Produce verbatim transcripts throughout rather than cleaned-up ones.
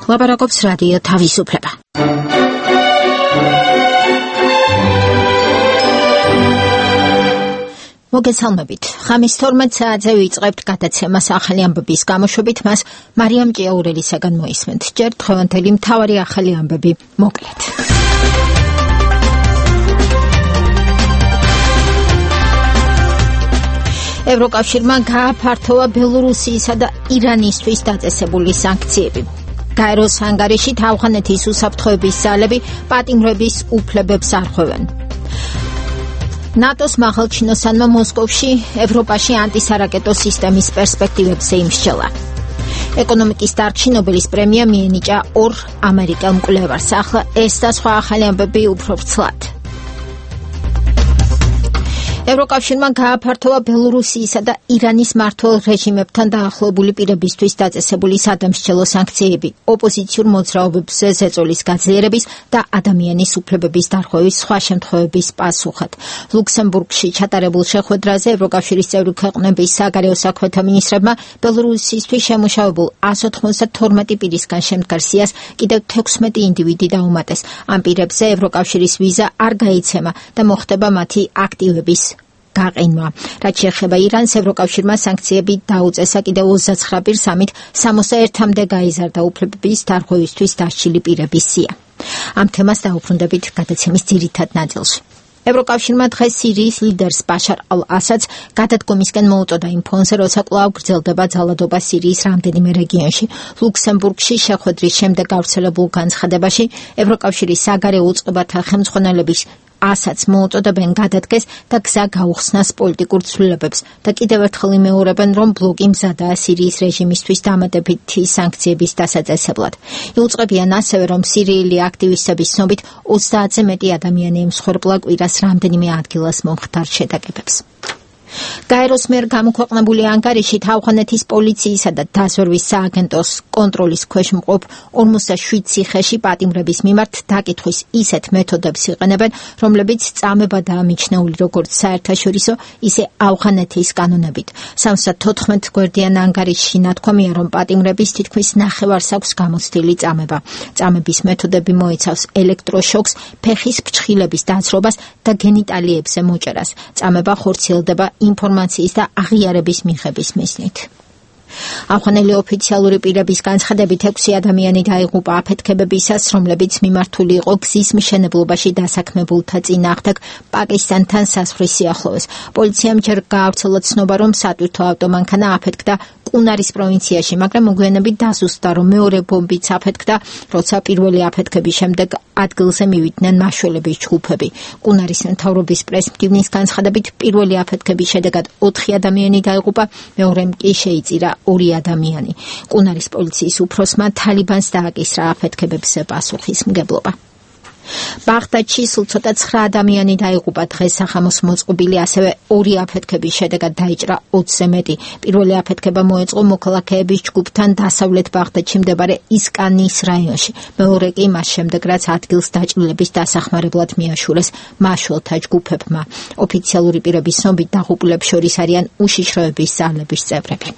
ლაპარაკობს რადიო თავისუფლება. მოგესალმებით. ხამის თორმეტ საათზე ვიწყებთ გადაცემას ახალი ამბების გამოშვებით, მას მარიამ ჭიაურელისაგან მოისმენთ. ჯერ დღევანდელი მთავარი ახალი ამბები მოკლედ. ევროკავშირმა გააფართოვა ბელორუსიისა და ირანისთვის დაწესებული სანქციები. გაეროს ანგარიშით ავღანეთის უსაფრთხოების ძალები პატიმრების უფლებებს არღვევენ. ნატოს მაღალჩინოსანმა მოსკოვში ევროპაში ანტისარაკეტო სისტემის პერსპექტივებზე იმსჯელა. ეკონომიკის დარგში ნობელის პრემია მიენიჭა ორ ამერიკელ მკვლევარს. ახლა ეს და სხვა ახალი ამბები უფრო ვრცლად. ევროკავშირმა გააფართოვა ბელორუსიისა და ირანის მმართველ რეჟიმებთან დაახლოებული პირებისთვის დაწესებული სადამსჯელო სანქციები, ოპოზიციურ მოძრაობებზე ზეწოლის გაძლიერების და ადამიანის უფლებების დარღვევის სხვა შემთხვევების პასუხად. ლუქსემბურგში ჩატარებულ შეხვედრაზე ევროკავშირის წევრი ქვეყნების საგარეო საქმეთა მინისტრებმა ბელორუსისთვის შემუშავებულ εκατს ოცდათორმეტი პირისგან შემდგარ სიას კიდევ თექვსმეტი ინდივიდი დაუმატეს. ამ პირებზე ევროკავშირის ვიზა არ გაიცემა და მოხდება მათი აქტივების გაყინვა. რაც შეეხება ირანს, ევროკავშირმა სანქციები დაუწესა კიდევ ოცდაცხრა პირს, ამით სამოცდაერთამდე გაიზარდა უფლებების დარღვევისთვის დასჯილი პირების სია. ამ თემას დაუბრუნდებით გადაცემის ძირითად ნაწილში. ევროკავშირმა დღეს სირიის ლიდერს ბაშარ ალ-ასადს გადადგომისკენ მოუწოდა იმ ფონზე, როცა კვლავ გრძელდება ძალადობა სირიის რამდენიმე რეგიონში. ლუქსემბურგში შეხვედრის შემდეგ გავრცელებულ განცხადებაში ევროკავშირის საგარეო უწყებათა ხელმძღვანელების ასადს მოუწოდებენ გადადგეს და გზა გაუხსნას პოლიტიკურ ცვლილებებს და კიდევ ერთხელ იმეორებენ, რომ ბლოკი მზადაა სირიის რეჟიმისთვის დამატებითი სანქციების დასაწესებლად. იუწყებიან ასევე, რომ სირიელი აქტივისტების ცნობით ოცდაათზე მეტი ადამიანი ემსხვერპლა კვირას რამდენიმე ადგილას მომხდარ შეტაკებებს. გაეროს მიერ გამოქვეყნებული ანგარიშით ავღანეთის პოლიციისა და დაზვერვის სააგენტოს კონტროლის ქვეშ მყოფ ორმოცდაშვიდ ციხეში პატიმრების მიმართ დაკითხვის ისეთ მეთოდებს იყენებენ, რომლებიც წამებადაა მიჩნეული როგორც საერთაშორისო, ისე ავღანეთის კანონებით. სამოცდათოთხმეტ გვერდიან ანგარიშში ნათქვამია, რომ პატიმრების თითქმის ნახევარს აქვს გამოცდილი წამება. წამების მეთოდები მოიცავს ელექტროშოკს, ფეხის ფრჩხილების დაცრობას და გენიტალიებზე მოჭერას. წამება ხორციელდება ინფორმაციის და აღიარების მიღების მიზნით. ავღანელი ოფიციალური პირების განცხადებით ექვსი ადამიანი დაიღუპა აფეთქებებისას, რომლებიც მიმართული იყო გზის მშენებლობაში დასაქმებულთა წინააღმდეგ პაკისტანთან საზღვრის სიახლოვეს. პოლიციამ ჯერ გაავრცელა ცნობა, რომ სატვირთო ავტომანქანა აფეთქდა კუნარის პროვინციაში, მაგრამ მოგვიანებით დაზუსტდა, რომ მეორე ბომბიც აფეთქდა, როცა პირველი აფეთქების შემდეგ ადგილზე მივიდნენ მაშველების ჯგუფები. კუნარის მთავრობის პრესმდივნის განცხადებით პირველი აფეთქების შედეგად ოთხი ადამიანი დაიღუპა, მეორემ კი შეიწირა ორი ადამიანი. კუნარის პოლიციის უფროსმა თალიბანს დააკისრა აფეთქებებზე პასუხისმგებლობა. ბაღდადში სულ ცოტა ცხრა ადამიანი დაიღუპა დღეს სახამოს მოწყობილი, ასევე ორი აფეთქების შედეგად დაიჭრა ოცზე მეტი. პირველი აფეთქება მოეწყო მოქალაქეების ჯგუფთან დასავლეთ ბაღდადში მდებარე ისკანის რაიონში. მეორე კი მას შემდეგ, რაც ადგილს დაჭრილების დასახმარებლად მიაშურეს მაშველთა ჯგუფებმა. ოფიციალური პირების ცნობით დაღუპულებს შორის არიან უშიშროების ძალების წევრები.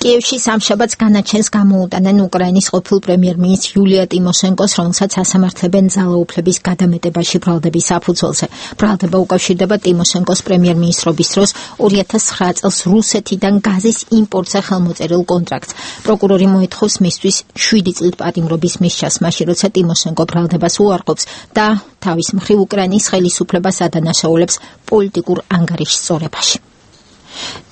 კიევში სამშაბათს განაჩენს გამოუტანენ უკრაინის ყოფილ პრემიერ-მინისტრ იულია ტიმოშენკოს, რომელსაც ასამართლებენ ძალაუფლების გადამეტებაში ბრალდების საფუძველზე. ბრალდება უკავშირდება ტიმოშენკოს პრემიერ-მინისტრობის დროს ორი ათას ცხრა წელს რუსეთიდან გაზის იმპორტზე ხელმოწერილ კონტრაქტს. პროკურორი მოითხოვს მისთვის შვიდი წლით პატიმრობის მისჯას, მაშინ როცა ტიმოშენკო ბრალდებას უარყოფს და თავის მხრივ უკრაინის ხელისუფლებას ადანაშაულებს პოლიტიკურ ანგარიშს სწორებაში.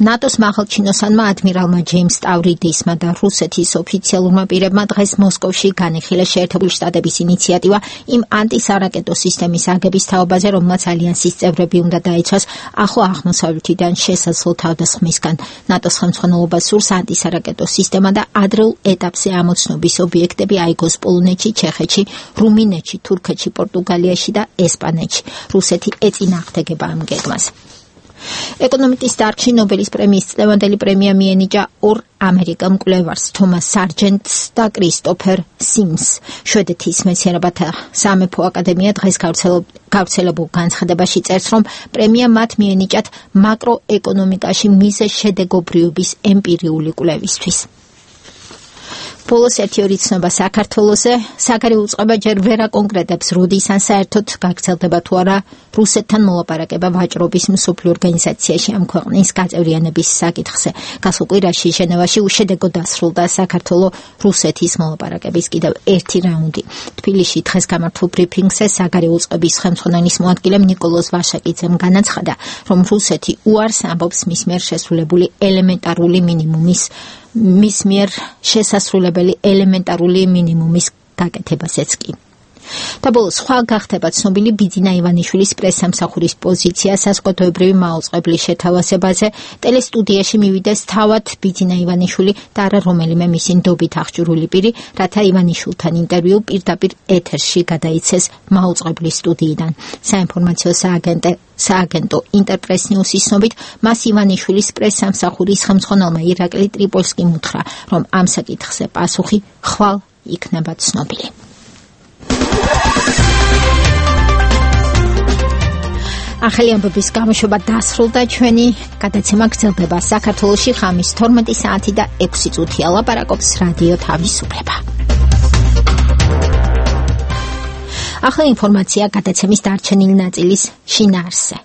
ნატოს მაღალჩინოსანმა ადმირალმა ჯეიმს სტავრიდისმა და რუსეთის ოფიციალურმა პირებმა დღეს მოსკოვში განიხილეს შეერთებული შტატების ინიციატივა იმ ანტისარაკეტო სისტემის აგების თაობაზე, რომელმაც ალიანსის წევრები უნდა დაიცვას ახლო აღმოსავლეთიდან შესაძლო თავდასხმისგან. ნატოს ხელმძღვანელობა სურს ანტისარაკეტო სისტემა და ადრეულ ეტაპზე ამოცნობის ობიექტები აიგოს პოლონეთში, ჩეხეთში, რუმინეთში, თურქეთში, პორტუგალიაში და ესპანეთში. რუსეთი ეწინააღმდეგება ამ გეგმას. ეკონომიკის დარგში ნობელის პრემიის წლევანდელი პრემია მიენიჭა ორ ამერიკელ მკვლევარს, თომას სარჯენტს და კრისტოფერ სიმს. შვედეთის მეცნიერებათა სამეფო აკადემია დღეს გავრცელებულ განცხადებაში წერს, რომ პრემია მათ მიენიჭათ მაკროეკონომიკაში მიზეს შედეგობრიობის ემპირიული კვლევისთვის. ბოლოს ერთი ორი ცნობა საქართველოზე, საგარეო უწყება ჯერ ვერ აკონკრეტებს, როდის ან საერთოდ გაგრძელდება თუ არა რუსეთთან მოლაპარაკება ვაჭრობის მსოფლიო ორგანიზაციაში ამ ქვეყნის გაწევრიანების საკითხზე. გასულ კვირაში ჟენევაში უშედეგო დასრულდა საქართველო რუსეთის მოლაპარაკების კიდევ ერთი რაუნდი. თბილისში დღეს გამართულ ბრიფინგზე საგარეო უწყების ხელმძღვანელის მოადგილემ ნიკოლოზ ვაშაკიძემ განაცხადა, რომ რუსეთი უარს ამბობს მის მიერ შესრულებული ელემენტარული მინიმუმის მის მიერ შესასრულებელი ელემენტარული მინიმუმის გაკეთებასაც კი. და ბოლოს სხვა გახდება ცნობილი ბიძინა ივანიშვილის პრესსამსახურის პოზიცია საზოგადოებრივი მაუწყებლის შეთავაზებაზე. ტელესტუდიაში მივიდეს თავად ბიძინა ივანიშვილი და არა რომელიმე მისი ნდობით აღჭურვილი პირი, რათა ივანიშვილთან ინტერვიუ პირდაპირ ეთერში გადაიცეს მაუწყებლის სტუდიიდან. საინფორმაციო სააგენტო სააგენტო ინტერპრეს ნიუსის ცნობით, მას ივანიშვილის პრესსამსახურის ხელმძღვანელმა ირაკლი ტრიპოლსკიმ უთხრა, რომ ამ საკითხზე პასუხი ხვალ იქნება ცნობილი. ახალი ამბების გამოშვება დასრულდა, ჩვენი გადაცემა გრძელდება საქართველოში ხამის თორმეტი საათი და ექვსი წუთია. ლაპარაკობს რადიო თავისუფლება. ახალი ინფორმაცია გადაცემის დარჩენილი ნაწილის შინაარსზე.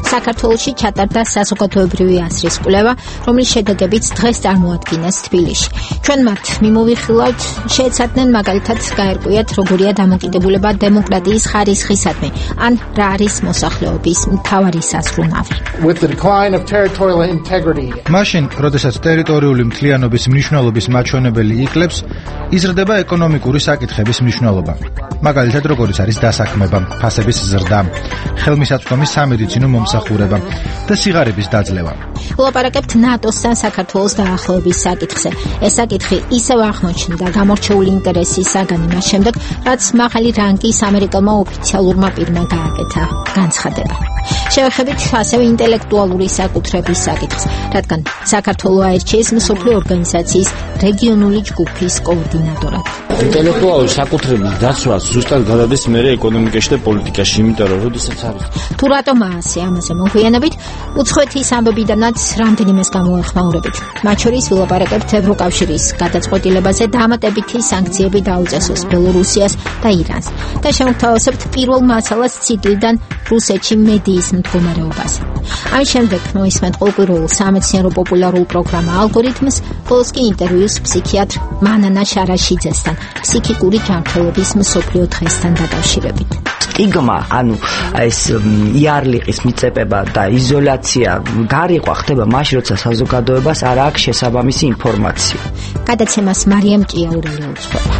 საქართველოში ჩატარდა საზოგადოებრივი აზრის კვლევა, რომლის შედეგებიც დღეს წარმოადგინეს თბილისში. ჩვენ მათ მიმოვიხილავთ, შეეცადნენ მაგალითად გაერკვიათ, როგორია დამოკიდებულება დემოკრატიის ხარისხისადმი, ან რა არის მოსახლეობის მთავარი საზრუნავი. მაშინ, როდესაც ტერიტორიული მთლიანობის მნიშვნელობის მაჩვენებელი იკლებს, იზრდება ეკონომიკური საკითხების მნიშვნელობა. მაგალითად, როგორიც არის დასაქმება, ფასების ზრდა, ხელმისაწვდომის სამედიცინო მომსახურება და სიღარიბის დაძლევა. ვლაპარაკებთ ნატოსთან საქართველოს დაახლოების საკითხზე. ეს საკითხი ისევ აღმოჩნდა გამორჩეული ინტერესის საგანი მას შემდეგ, რაც მაღალი რანგის ამერიკელმა ოფიციალურმა პირმა გააკეთა განცხადება. შევეხებით ასევე ინტელექტუალური საკუთრების საკითხს, რადგან საქართველო აირჩიეს მსოფლიო ორგანიზაციის რეგიონული ჯგუფის კოორდინატორად. ინტელექტუალური საკუთრების დაცვა ზუსტად გადადის მერე ეკონომიკაში და პოლიტიკაში, იმიტომ რომ როდესაც არის. თუ რატომ ასე ამაზე მოგვიანებით, უცხოეთის ამბებიდანაც რამდენიმეს გამოეხმაურებით. მათ შორის ვილაპარაკებთ ევროკავშირის გადაწყვეტილებაზე დამატებითი სანქციები დაუწესოს ბელორუსიას და ირანს. და შემოგთავაზებთ პირველ მასალას ციკლიდან რუსეთში მედიის მდგომარეობას. ამის შემდეგ მოისმენთ ყოველკვირეულ სამეცნიერო პოპულარულ პროგრამა ალგორითმს, ბოლოს კი ინტერვიუს ფსიქიატრ მანანა შარაშიძესთან, ფსიქიკური ჯანმრთელობის მსოფლიო დღესთან დაკავშირებით. სტიგმა, ანუ ეს იარლიყის მიწებება და იზოლაცია გარიყვა ხდება მაშინ, როცა საზოგადოებას არ აქვს შესაბამისი ინფორმაცია. გადაცემას მარიამ ჭიაურელი უძღვება.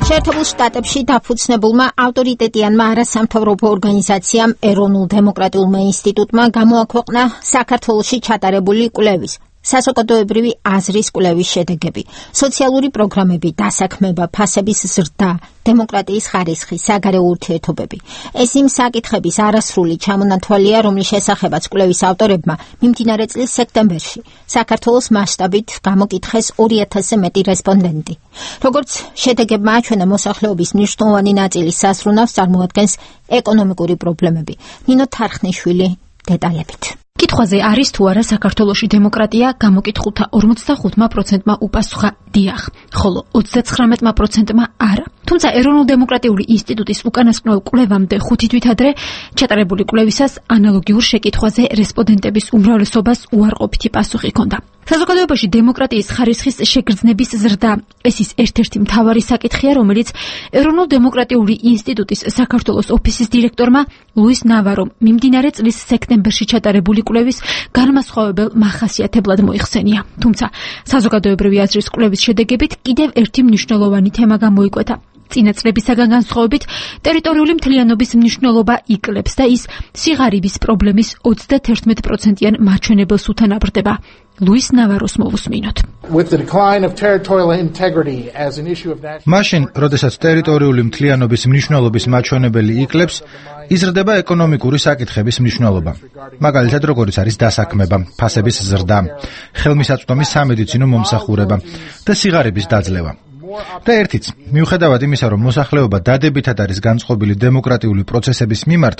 შეერთებულ შტატებში დაფუძნებულმა ავტორიტეტიანმა არასამთავრობო ორგანიზაციამ ეროვნულ დემოკრატიულმა ინსტიტუტმა გამოაქვეყნა საქართველოში ჩატარებული კვლევის საზოგადოებრივი აზრის კვლევის შედეგები, სოციალური პროგრამები, დასაქმება, ფასების ზრდა, დემოკრატიის ხარისხი, საგარეო ურთიერთობები. ეს იმ საკითხების არასრული ჩამონათვალია, რომლის შესახებაც კვლევის ავტორებმა მიმდინარე წლის სექტემბერში საქართველოს მასშტაბით გამოკითხეს ორი ათასზე მეტი რესპონდენტი. როგორც შედეგებმა აჩვენა, მოსახლეობის მნიშვნელოვანი ნაწილის საზრუნავს წარმოადგენს ეკონომიკური პრობლემები. ნინო თარხნიშვილი დეტალებით. კითხვაზე არის თუ არა საქართველოში დემოკრატია, გამოკითხულთა ორმოცდახუთმა პროცენტმა უპასუხა დიახ, ხოლო ოცდაცხრამეტმა პროცენტმა არა. თუმცა ეროვნულ დემოკრატიული ინსტიტუტის უკანასკნელ კვლევამდე ხუთი თვით ადრე ჩატარებული კვლევისას ანალოგიურ შეკითხვაზე რესპონდენტების უმრავლესობას უარყოფითი პასუხი ჰქონდა. საზოგადოებაში დემოკრატიის ხარისხის შეგრძნების ზრდა ეს ის ერთ-ერთი მთავარი საკითხია, რომელიც ეროვნულ დემოკრატიული ინსტიტუტის საქართველოს ოფისის დირექტორმა ლუის ნავარომ მიმდინარე წლის სექტემბერში ჩატარებული კვლევის განმასხვავებელ მახასიათებლად მოიხსენია. თუმცა საზოგადოებრივი აზრის კვლევის შედეგებით კიდევ ერთი მნიშვნელოვანი თემა გამოიკვეთა. წინა წლებისაგან განსხვავებით, ტერიტორიული მთლიანობის მნიშვნელობა იკლებს და ის სიღარიბის პრობლემის ოცდაათი პროცენტიან მაჩვენებელს უთანაბრდება. ლუის ნავაროს მოვუსმინოთ. მაშინ, როდესაც ტერიტორიული მთლიანობის მნიშვნელობის მაჩვენებელი იკლებს, იზრდება ეკონომიკური საკითხების მნიშვნელობა. მაგალითად, როგორიც არის დასაქმება, ფასების ზრდა, ხელმისაწვდომის სამედიცინო მომსახურება და სიღარიბის დაძლევა. და ერთიც, მიუხედავად იმისა, რომ მოსახლეობა დადებითად არის განწყობილი დემოკრატიული პროცესების მიმართ,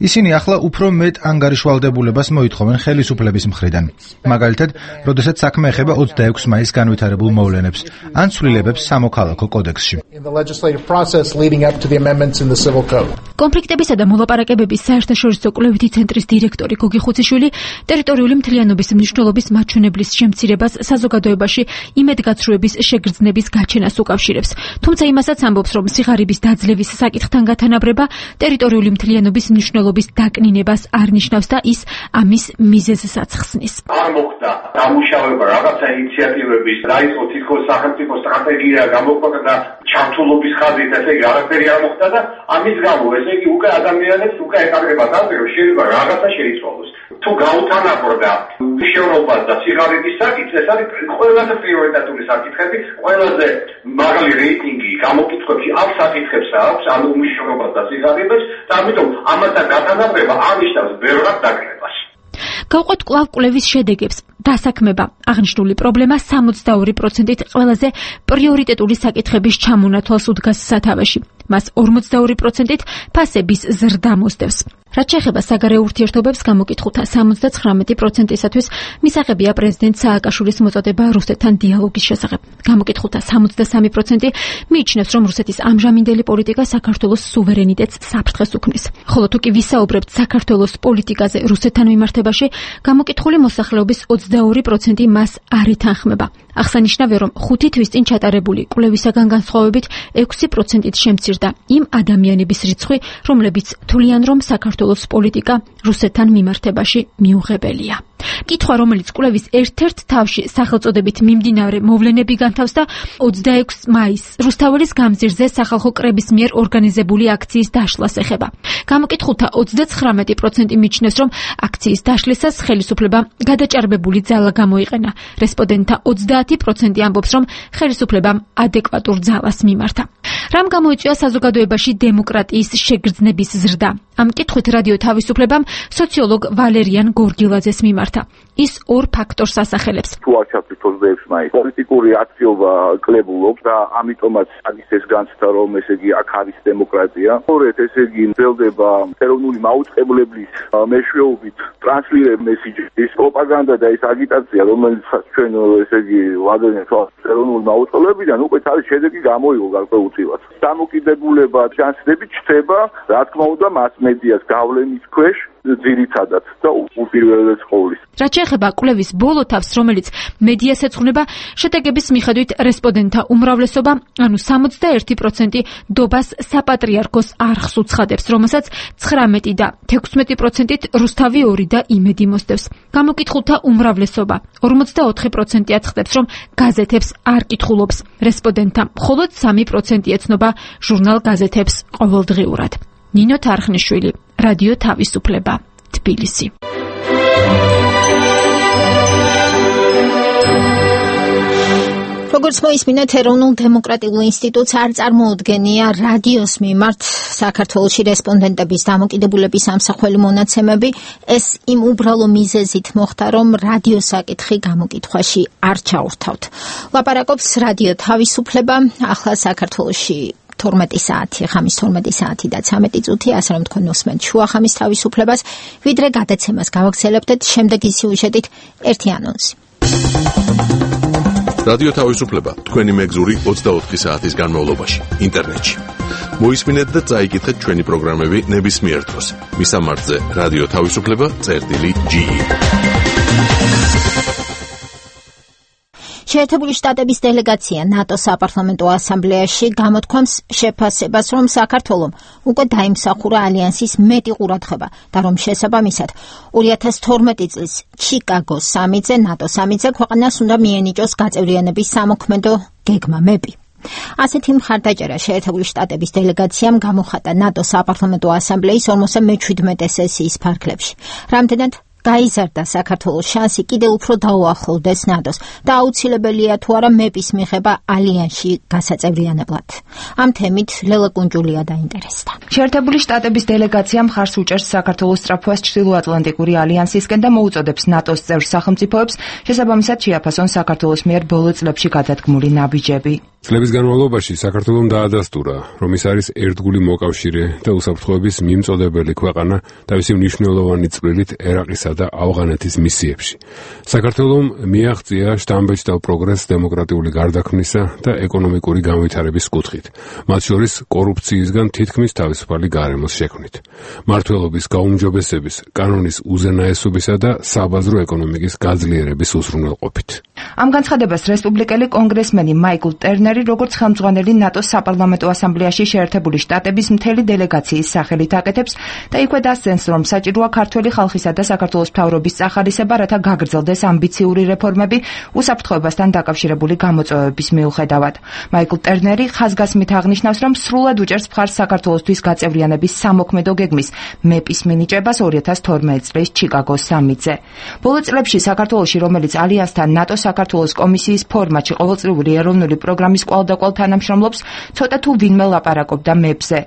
ისინი ახლა უფრო მეტ ანგარიშვალდებულებას მოითხოვენ ხელისუფლების მხრიდან. მაგალითად, როდესაც საქმე ეხება ოცდაექვსი მაისს განვითარებულ მოვლენებს, ან ცვლილებებს სამოქალაქო კოდექსში. კონფლიქტებისა და მოლაპარაკებების საერთაშორისო კვლევითი ცენტრის დირექტორი გოგი ხუციშვილი ტერიტორიული მთლიანობის მნიშვნელობის მაჩვენებლის შემცირებას საზოგადოებაში იმედგაცრუების შეგრძნების გაჩენას უკავშირებს. თუმცა იმასაც ამბობს, რომ სიღარიბის დაძლევის საკითხთან გათანაბრება ტერიტორიული მთლიანობის მნიშვნელობის დაკნინებას არ ნიშნავს და ის ამის მიზეზსაც ხსნის. არ მოხდა დამუშავება რაღაცა ინიციატივების, დაიწყო თითქოს სახელმწიფო სტრატეგია გამოყვება და ჩართულობის ხაზით, ესე იგი არაფერი არ მოხდა და ამის გამო, ესე იგი უკვე ადამიანებს უკვე ეკარგებათ ასე, რომ შეიძლება რაღაცა შეიცვალოს. თუ გაუთანაბრდა მშენობა და სიღარიბის საკითხი, ეს არის ყველაზე პრიორიტეტული საკითხები, ყველაზე მაღალი რეიტინგი გამოკითხვებში ამ საკითხებს აქვს, ანუ მშენობას და სიღარიბეს, და ამიტომ ამათან გათანაბრება აღნიშნავს ბევრად დაკნებას. გავყვეთ კვლავ კვლევის შედეგებს. დასაქმება აღნიშნული პრობლემა სამოცდაორი პროცენტით ყველაზე პრიორიტეტული საკითხების ჩამონათვალს უდგას სათავეში. მას ორმოცდაორი პროცენტით ფასების ზრდა მოსდევს. რაც შეეხება საგარეო ურთიერთობებს, გამოკითხულთა სამოცდაცხრამეტი პროცენტისათვის მისაღებია პრეზიდენტ სააკაშვილის მოწოდება რუსეთთან დიალოგის შესახებ. გამოკითხულთა სამოცდასამი პროცენტი მიიჩნევს, რომ რუსეთის ამჟამინდელი პოლიტიკა საქართველოს სუვერენიტეტს საფრთხეს უქმნის. ხოლო თუ კი ვისაუბრებთ საქართველოს პოლიტიკაზე რუსეთთან მიმართებაში, გამოკითხული მოსახლეობის ოცდაორი პროცენტი მას არ ეთანხმება. აღსანიშნავია, რომ ხუთი თვის წინ ჩატარებული კვლევისაგან განსხვავებით ექვსი პროცენტით შემცირდა იმ ადამიანების რიცხვი, რომლებიც თვლიან, რომ საქართველოს პოლიტიკა რუსეთთან მიმართებაში მიუღებელია. კითხვა, რომელიც კვლევის ერთ-ერთ თავში სახელწოდებით მიმდინარე მოვლენები განთავსდა ოცდაექვსი მაისს რუსთაველის გამზირზე სახალხო კრების მიერ ორგანიზებული აქციის დაშლას ეხება. გამოკითხულთა ოცდაცხრამეტი პროცენტი მიიჩნევს, რომ აქციის დაშლისას ხელისუფლებამ გადაჭარბებული ძალა გამოიყენა. რესპონდენტთა ოცდაათი პროცენტი ამბობს, რომ ხელისუფლებამ ადეკვატურ ძალას მიმართა. რამ გამოიწვია საზოგადოებაში დემოკრატიის შეგრძნების ზრდა? ამ კითხვით რადიო თავისუფლებამ სოციოლოგ ვალერიან გორგილაძეს მიმართა. ის ორ ფაქტორს ასახელებს. თუ არ ჩავთვლით ოცდაექვსი მაისს, პოლიტიკური აქტივობა კლებულობს და ამიტომაც არის ეს განცდა, რომ ესე იგი აქ არის დემოკრატია. სწორედ ესე იგი მძელდება ეროვნული მაუწყებლობის მეშვეობით ტრანსლირებ მესიჯის პროპაგანდა და ეს აგიტაცია, რომელიც ჩვენ ესე იგი ვადენთ ეროვნული მაუწყებლებიდან, უკვე თავის შედეგი გამოიღო გარკვეულწილად. დამოკიდებულება ჯანსდებით ჩდება, რა თქმა უნდა, მასმედიას გავლენის ქვეშ ძირითადად და უპირველეს ყოვლის. რაც შეეხება კვლევის ბოლო თავს, რომელიც მედიას ეძღვნება, შედეგების მიხედვით რესპონდენტთა უმრავლესობა, ანუ სამოცდაერთი პროცენტი დობას საპატრიარქოს არხს უცხადებს, რომელსაც ცხრამეტი და თექვსმეტი პროცენტით რუსთავი ორი და იმედი მოსდევს. გამოკითხულთა უმრავლესობა ორმოცდაოთხი პროცენტი აცხადებს, რომ გაზეთებს არ კითხულობს. რესპონდენტთა მხოლოდ სამი პროცენტი ეცნობა ჟურნალ გაზეთებს ყოველდღიურად. ნინო თარხნიშვილი, რადიო თავისუფლება, თბილისი. როგორც მოისმინეთ, ეროვნულ დემოკრატიულ ინსტიტუტს არ წარმოუდგენია რადიოს მიმართ საქართველოში რესპონდენტების დამოკიდებულების ამსახველი მონაცემები. ეს იმ უბრალო მიზეზით მოხდა, რომ რადიოს საკითხი გამოკითხვაში არ ჩაურთავთ. ლაპარაკობს რადიო თავისუფლება, ახლა საქართველოში თორმეტი საათი, ხამის თორმეტი საათი და ცამეტი წუთი, ასე რომ თქვენ უსმენთ შუა ხამის თავისუფლებას, ვიდრე გადაცემას გავაგრძელებთ შემდეგი სიუჟეტით ერთი ანონსი. რადიო თავისუფლება თქვენი მეგზური ოცდაოთხი საათის განმავლობაში ინტერნეტში. მოისმინეთ და წაიკითხეთ ჩვენი პროგრამები ნებისმიერ დროს. მისამართზე რადიო თავისუფლება წერტილი ჯი ი. შეერთებული შტატების დელეგაცია ნატოს საპარლამენტო ასამბლეაში გამოთქვამს შეფასებას, რომ საქართველომ უკვე დაიმსახურა ალიანსის მეტი ყურადღება და რომ შესაბამისად ორი ათას თორმეტი წლის ჩიკაგოს სამიტზე ნატო სამიტზე ქვეყანას უნდა მიენიჭოს გაწევრიანების სამოქმედო გეგმა მები. ასეთი მხარდაჭერა შეერთებული შტატების დელეგაციამ გამოხატა ნატოს საპარლამენტო ასამბლეის ორმოცდა მეჩვიდმეტე სესიის ფარგლებში. რამდენად გაიზარდა საქართველოს შანსი კიდევ უფრო დაუახლოვდეს ნატოს და აუცილებელია თუ არა მეპის მიღება ალიანსში გასაწევრიანებლად. ამ თემით ლელა კუნჯულია დაინტერესდა. შეერთებული შტატების დელეგაცია მხარს უჭერს საქართველოს სწრაფვას ჩრდილოატლანტიკური ალიანსისკენ და მოუწოდებს ნატოს წევრ სახელმწიფოებს შესაბამისად შეაფასონ საქართველოს მიერ ბოლო წლებში გადადგმული ნაბიჯები. წლების განმავლობაში საქართველომ დაადასტურა, რომ ის არის ერთგული მოკავშირე და უსაფრთხოების მიმწოდებელი ქვეყანა თავისი მნიშვნელოვანი წვლილით ერაყისა და ავღანეთის მისიებში. საქართველომ მიაღწია შთამბეჭდავ პროგრესს დემოკრატიული გარდაქმნისა და ეკონომიკური განვითარების კუთხით, მათ შორის კორუფციისგან თითქმის თავისუფალი გარემოს შექმნით, მმართველობის გაუმჯობესების, კანონის უზენაესობისა და საბაზრო ეკონომიკის გაძლიერების უზრუნველყოფით. ამ განცხადებას რესპუბლიკელი კონგრესმენი მაიკლ ტერნერი როგორც ხელმძღვანელი ნატოს საპარლამენტო ასამბლეაში შეერთებული შტატების მთელი დელეგაციის სახელით აკეთებს და იქვე დასცენს, რომ საჭიროა ქართველი ხალხისა და საქართველოს მთავრობის წახალისება, რათა გაგრძელდეს ამბიციური რეფორმები უსაფრთხოებასთან დაკავშირებული გამოწვევების მიუხედავად. მაიკლ ტერნერი ხაზგასმით აღნიშნავს, რომ სრულად უჭერს მხარს საქართველოსთვის გაწევრიანების სამოქმედო გეგმის მეპის მინიჭებას ორი ათას თორმეტი წლის ჩიკაგოს სამიტზე. ბოლო წლებში საქართველოში, რომელიც ალიანსთან ნატოს საქართველოს კომისიის ფორმატში ყოველწლიური ეროვნული პროგრამის კვალდაკვალ თანამშრომლობს, ცოტა თუ ვინმე ლაპარაკობდა მეპზე.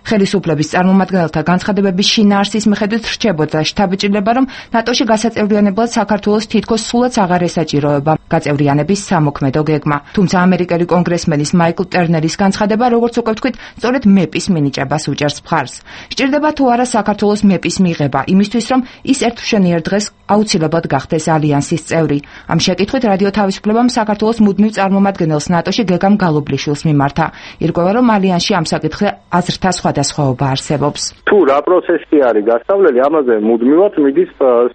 ხელისუფლების წარმომადგენელთა განცხადებების შინაარსის მიხედვით რჩებოდა შთაბეჭდილება, რომ ნატოში გასაწევრიანებლად საქართველოს თითქოს სულაც აღარ ესაჭიროება გაწევრიანების სამოქმედო გეგმა. თუმცა ამერიკელი კონგრესმენის მაიკლ ტერნერის განცხადება, როგორც უკვე ვთქვით, სწორედ მეპის მინიჭებას უჭერს მხარს. სჭირდება თუ არა საქართველოს მეპის მიღება, იმისთვის, რომ ის ერთშენიერ დღეს აუცილებლად გახდეს ალიანსის წევრი. ამ შეკითხვით რადიო თავისუფლებამ საქართველოს მუდმივ წარმომადგენელს ნატოში გეგამ გალობლიშვილს მიმართა. ირკვევა, რომ ალიანსში ამ საკითხზე აზრთა სხვადასხვაობა არსებობს. თუ რა პროცესი არის გასავლელი, ამაზე მუდმივად მიდის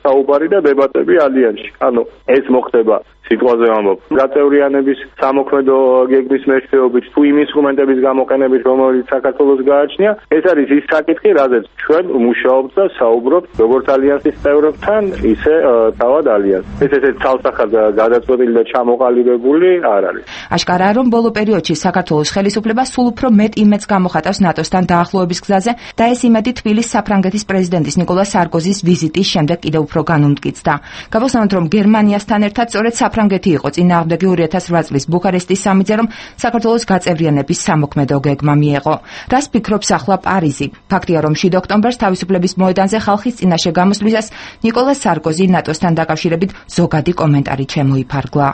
საუბარი და დებატები ალიანსში. ანუ ეს მოხდება სიტყვაზე ვამბობ, გაწევრიანების სამოქმედო გეგმის მეშვეობით, თუ იმ ინსტრუმენტების გამოყენებით, რომელიც საქართველოს გააჩნია, ეს არის ის საკითხი, რაზეც ჩვენ მუშაობთ და საუბრობთ როგორც ალიანსის წევრებთან, ისე თავად ალიანსს. ეს ესეც თავსახად გადაწყვეტილი და ჩამოყალიბებული არ არის. აშკარაა, რომ ბოლო პერიოდში საქართველოს ხელისუფლება სულ უფრო მეტ იმედს გამოხატავს ნატოსთან დაახლოების გზაზე და ეს იმედი თბილის საფრანგეთის პრეზიდენტის ნიკოლა სარკოზის ვიზიტის შემდეგ კიდევ უფრო განუმტკიცდა. გავხსენოთ, რომ გერმანიასთან ერთად სწორედ საფრანგეთი იყო წინააღმდეგი ორი ათას რვა წლის ბუქარესტის სამიტზე, რომ საქართველოს გაწევრიანების სამოქმედო გეგმა მიეღო. რას ფიქრობს ახლა პარიზი? ფაქტია, რომ შვიდ ოქტომბერს თავისუფლების მოედანზე ხალხის წინაშე გამოსვლისას ნიკოლა სარკოზი ნატოსთან დაკავშირებით ზოგადი კომენტარი შემოიფარგლა.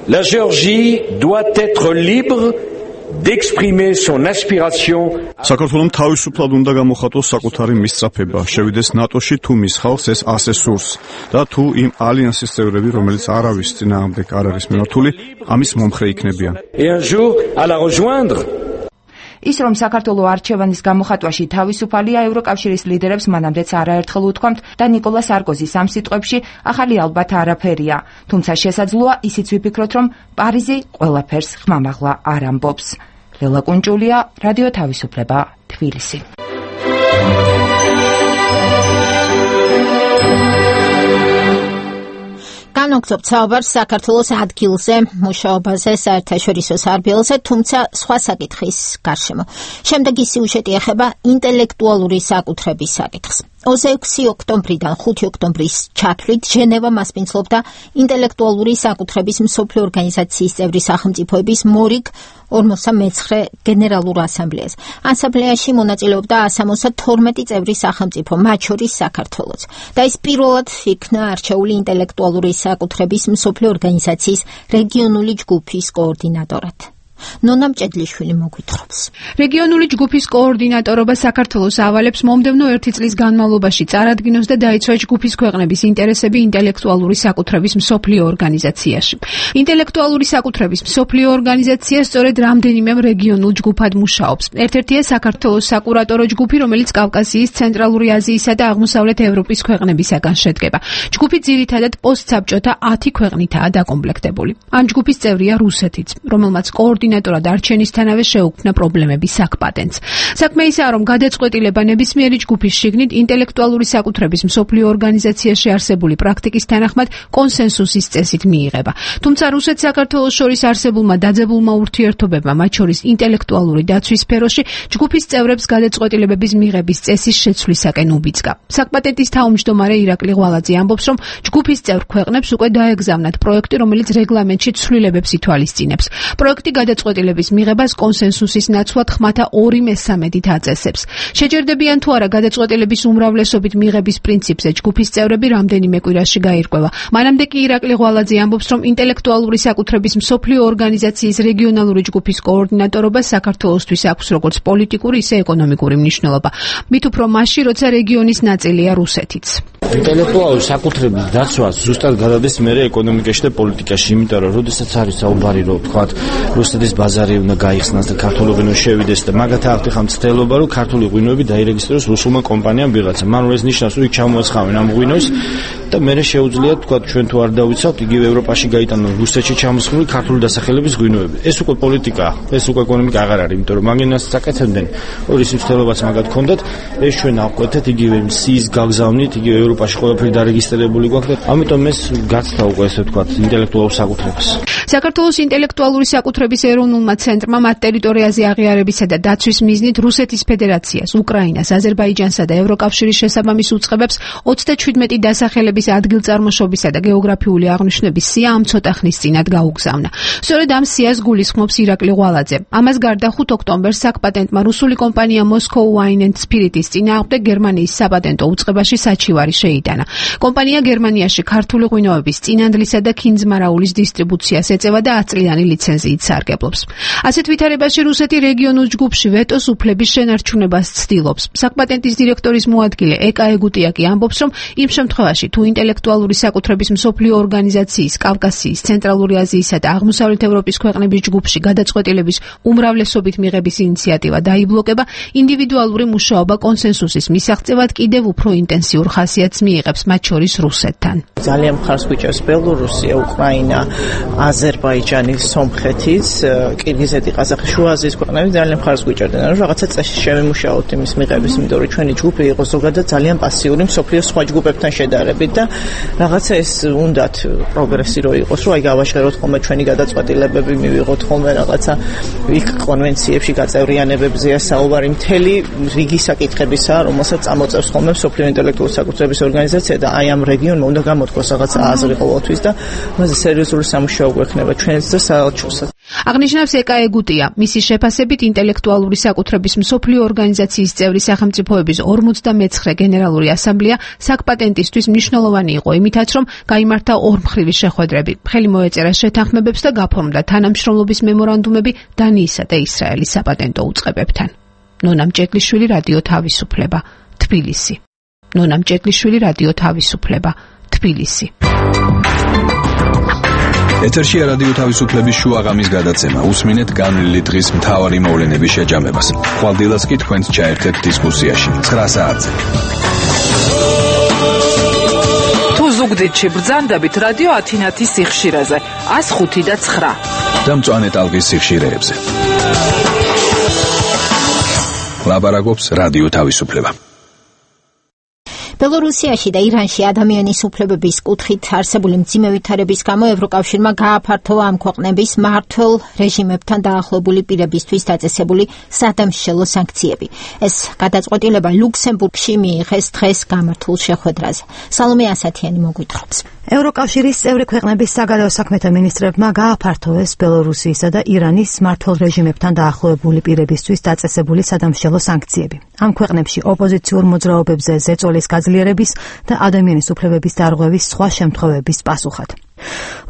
La Géorgie doit être libre d'exprimer son aspiration. საქართველოს თავისუფლად უნდა გამოხატოს საკუთარი მისწრაფება, შევიდეს ნატოში თუ მის ხალხს ეს ასე სურს და თუ იმ ალიანსის წევრები, რომელიც არავის წინააღმდეგ არ არის მიმართული, ამის მომხრე იქნებიან. Et un jour à la rejoindre. ის, რომ საქართველოს არჩევანის გამოხატვაში თავისუფალია, ევროკავშირის ლიდერებს მანამდეც არაერთხელ უთქვამთ და ნიკოლა სარკოზის ამ სიტყვებში ახალი ალბათ არაფერია. თუმცა შესაძლოა ისიც ვიფიქროთ, რომ პარიზი ყველაფერს ხმამაღლა არ ამბობს. ლელა კუნჭულია, რადიო თავისუფლება, თბილისი. განვაგრძობთ საუბარს საქართველოს ადგილზე, მუშაობაზე, საერთაშორისო სარბიელზე, თუმცა სხვა საკითხის გარშემო. შემდეგი სიუჟეტი ეხება ინტელექტუალური საკუთრების საკითხს. ოცი ოქტომბრიდან ხუთი ოქტომბრის ჩათვლით ჟენევა მასპინძლობდა ინტელექტუალური საკუთრების მსოფლიო ორგანიზაციის წევრი სახელმწიფოების მორიგ ორმოცდა მეცხრე გენერალურ ასამბლეას. ასამბლეაში მონაწილეობდა ასამოცდა თორმეტი წევრი სახელმწიფო, მათ შორის საქართველოც. და ის პირველად იქნა არჩეული ინტელექტუალური საკუთრების მსოფლიო ორგანიზაციის რეგიონული ჯგუფის კოორდინატორად. ნონა მჭედლიშვილი მოგვითხრობს. რეგიონული ჯგუფის კოორდინატორობა საქართველოს ავალებს მომდევნო ერთი წლის განმავლობაში წარადგინოს და დაიცვას ჯგუფის ქვეყნების ინტერესები ინტელექტუალური საკუთრების მსოფლიო ორგანიზაციაში. ინტელექტუალური საკუთრების მსოფლიო ორგანიზაცია სწორედ რამდენიმე რეგიონულ ჯგუფად მუშაობს. ერთ-ერთია საქართველოს საკურატორო ჯგუფი, რომელიც კავკასიის, ცენტრალური აზიისა და აღმოსავლეთ ევროპის ქვეყნებისაგან შედგება. ჯგუფი ძირითადად პოსტსაბჭოთა ათი ქვეყნითაა დაკომპლექტებული. ამ ჯგუფის წევრია რუსეთიც, რომელმაც კოორდინატორი კოორდინატორად არჩენისთანავე შეუქმნა პრობლემების საკპატენტს. საქმე ისაა, რომ გადაწყვეტილება ნებისმიერი ჯგუფის შიგნით ინტელექტუალური საკუთრების მსოფლიო ორგანიზაციაში არსებული პრაქტიკის თანახმად კონსენსუსის წესით მიიღება. თუმცა რუსეთ-საქართველოს შორის არსებულმა დაძაბულმა ურთიერთობებმა, მათ შორის ინტელექტუალური დაცვის სფეროში, ჯგუფის წევრებს გადაწყვეტილებების მიღების წესის შეცვლისაკენ უბიძგა. საკპატენტის თავმჯდომარე ირაკლი ღვალაძე ამბობს, რომ ჯგუფის წევრ ქვეყნებს უკვე დაეგზავნათ პროექტი, რომელიც რეგლამენტში ცვლილებებს ითვალისწინებს. პროექტი გადაწყვეტილების მიღებას კონსენსუსის ნაცვლად ხმათა ორი მესამედით აწესებს. შეჯერდებიან თუ არა გადაწყვეტილების უმრავლესობით მიღების პრინციპზე ჯგუფის წევრები რამდენიმე კვირაში გაირკვევა. მანამდე კი ირაკლი ღვალაძე ამბობს, რომ ინტელექტუალური საკუთრების მსოფლიო ორგანიზაციის რეგიონალური ჯგუფის კოორდინატორობა საქართველოსთვის აქვს როგორც პოლიტიკური, ისე ეკონომიკური მნიშვნელობა. მით უფრო მასში, როცა რეგიონის ნაწილია რუსეთიც. ინტელექტუალური საკუთრების დაცვა ზუსტად გადადის მერე ეკონომიკაში და პოლიტიკაში, იმიტომ რომ როდესაც არის საუბარი, რომ თქვათ რუსეთის ბაზარი უნდა გაიხსნას და ქართული ღვინო შევიდეს და მაგათი ახლა ხან ცდელობა, რომ ქართული ღვინოები დაირეგისტროს რუსულმა კომპანიამ ვიღაცა. მანულ ეს ნიშნავს, რომ იქ ჩამოაცხავენ ამ ღვინოს და მერე შეუძლია თქვათ ჩვენ თუ არ დავიცავთ, იგივე ევროპაში გაიტანონ რუსეთში ჩამოსხმული ქართული დასახელების ღვინოები. ეს უკვე პოლიტიკაა, ეს უკვე ეკონომიკა აღარ არის, იმიტომ რომ მაგენას წაკეთებდნენ. ორი სიმცდელობაც მაგათ ჰქონდათ, ეს ჩვენ ავკვეთეთ იგივე სიის გაგზავნით, იგივე ევროპაში ყველაფერი დარეგისტრირებული გვაქვს და ამიტომ ეს გაცდა უკვე ესე ვთქვათ ინტელექტუალურ საკუთრებას. საქართველოს ინტელექტუალური საკუთრების ეროვნულმა ცენტრმა მათ ტერიტორიაზე აღიარებისა და დაცვის მიზნით რუსეთის ფედერაციას, უკრაინას, აზერბაიჯანსა და ევროკავშირის შესაბამის უწყებებს ოცდაჩვიდმეტი დასახელების ადგილწარმოშობისა და გეოგრაფიული აღნიშვნების სია ამ ცოტა ხნის წინათ გაუგზავნა. სწორედ ამ სიას გულისხმობს ირაკლი ღვალაძე. ამას გარდა ხუთ ოქტომბერს საკპატენტმა რუსული კომპანია Moscow Wine and Spirits წინააღმდეგ გერმანიის საპატენტო უწყებაში საჩივარი შეიტანა. კომპანია გერმანიაში ქართული ღვინოების, წინანდლისა და ქინძმარაულის დისტრიბუციას ეწევა და ათ წლიანი ლიცენზიით სარგებლობს. ასეთ ვითარებაში რუსეთი რეგიონულ ჯგუფში ვეტოს უფლების შენარჩუნებას ცდილობს. საკპატენტის დირექტორის მოადგილე ეკა ეგუტიაკი ამბობს, რომ იმ შემთხვევაში თუ ინტელექტუალური საკუთრების მსოფლიო ორგანიზაციის, კავკასიის, ცენტრალური აზიისა და აღმოსავლეთ ევროპის ქვეყნების ჯგუფში გადაწყვეტილების უმრავლესობით მიღების ინიციატივა დაიბლოკება, ინდივიდუალური მუშაობა კონსენსუსის მისაღწევად კიდევ უფრო ინტენსიურ ხასიათს მიიღებს, მათ შორის რუსეთთან. ძალიან მხარს გვიჭერს ბელორუსია, უკრაინა, აზერბაიჯანი, სომხეთის, კირგიზეთი, ყაზახეთი, შუა აზიის ქვეყნები ძალიან მხარს გვიჭერდნენ, რომ რაღაცა წესში შევიმუშაოთ იმის მიღების, იმიტომ რომ ჩვენი ჯგუფი იყო ზოგადად ძალიან პასიური მსოფლიოს სხვა ჯგუფებთან შედარებით და რაღაცა ეს უნდათ პროგრესი რო იყოს, რომ აი გავაშღეროთ ხოლმე ჩვენი გადაწყვეტილებები, მივიღოთ ხოლმე რაღაცა იქ კონვენციებში გაწევრიანებებზეა საუბარი, მთელი რიგი საკითხებისა, რომელსაც წამოწევს ხოლმე მსოფლიო ინტელექტუალური საკუთრების ორგანიზაცია და აი ამ რეგიონმა უნდა გამოთქვას რაღაცა აზრი ყოველთვის და მასზე სერიოზული სამუშაო გვექნება ჩვენს და საელჩოსაც. აღნიშნავს ეკა ეგუტია. მისი შეფასებით ინტელექტუალური საკუთრების მსოფლიო ორგანიზაციის წევრი სახელმწიფოების ორმოცდამეცხრე გენერალური ასამბლეა საკპატენტისთვის მნიშვნელოვანი იყო იმითაც, რომ გაიმართა ორმხრივი შეხვედრები, ხელი მოეწერა შეთანხმებებს და გაფორმდა თანამშრომლობის მემორანდუმები დანიისა და ისრაელის საპატენტო უწყებებთან. ნონა მჭედლიშვილი, რადიო თავისუფლება, თბილისი. ნონა მჭედლიშვილი, რადიო თავისუფლება, თბილისი. ეთერშია რადიო თავისუფლების შუაღამის გადაცემა. უსმინეთ განვლილი დღის მთავარი მოვლენების შეჯამებას. ხვალდილას კი თქვენს ჩაერთეთ დისკუსიაში. ცხრა საათზე. თუ ზუგდიდში ბრძანდებით რადიო ათინათის სიხშირეზე ას ხუთი და ცხრა. და მწვანე ტალღის სიხშირეებზე. ლაბარაკობს რადიო თავისუფლება. ბელორუსიაში და ირანში ადამიანის უფლებების კუთხით არსებული მძიმე ვითარების გამო ევროკავშირმა გააფართოვა ამ ქვეყნების მმართველ რეჟიმებთან დაახლოებული პირებისთვის დაწესებული სადამსჯელო სანქციები. ეს გადაწყვეტილება ლუქსემბურგში მიიღეს დღეს გამართულ შეხვედრაზე. სალომე ასათიანი მოგვითხრობს. ევროკავშირის წევრი ქვეყნების საგარეო საქმეთა მინისტრებმა გააფართოვეს ბელორუსიისა და ირანის მმართველ რეჟიმებთან დაახლოებული პირებისთვის დაწესებული სადამსჯელო სანქციები. ამ ქვეყნებში ოპოზიციურ მოძრაობებზე ზეწოლის გაძლიერების და ადამიანის უფლებების დარღვევის სხვა შემთხვევების პასუხად.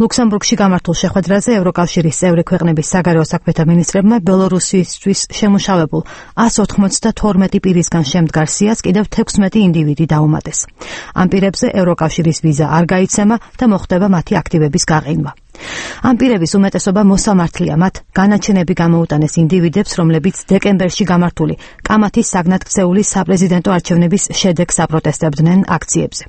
ლუქსემბურგში გამართულ შეხვედრაზე ევროკავშირის წევრი ქვეყნების საგარეო საქმეთა მინისტრებმა ბელორუსისთვის შემუშავებულ ას ოთხმოცდათორმეტი პირისგან შემდგარ სიას კიდევ თექვსმეტი ინდივიდი დაუმატეს. ამ პირებზე ევროკავშირის ვიზა არ გაიცემა და მოხდება მათი აქტივების გაყინვა. ამ პირების უმეტესობა მოსამართლეა, მათ განაჩენები გამოუტანეს ინდივიდებს, რომლებიც დეკემბერში გამართული კამათის საგნათქცეული საპრეზიდენტო არჩევნების შედეგს აპროტესტებდნენ აქციებზე.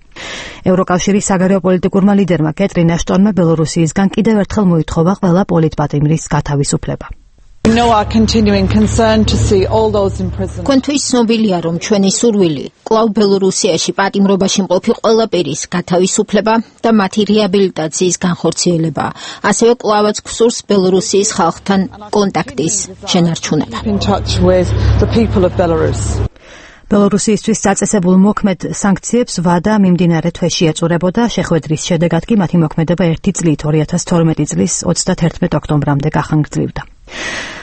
ევროკავშირის საგარეო პოლიტიკურმა ლიდერმა კეტრინ აშტონმა ბელორუსიისგან კიდევ ერთხელ მოითხოვა ყველა პოლიტპატიმრის გათავისუფლება. Კონთვის ცნობილია, რომ ჩვენი სურვილი კვლავ ბელორუსიაში პატიმრობაში მყოფი ყველა პირის გათავისუფლება და მათი რეაბილიტაციის განხორციელება. ასევე კვლავაც გვსურს ბელორუსიის ხალხთან კონტაქტის შენარჩუნება. ბელორუსიისთვის წაწესებულ მოქმედ სანქციებს ვადა მიმდინარე თვეში ეწურებოდა, შეხვედრის შედეგად კი მათი მოქმედება ერთი წლით ორი ათას თორმეტი წლის ოცდათერთმეტ ოქტომბრამდე გახანგრძლივდა.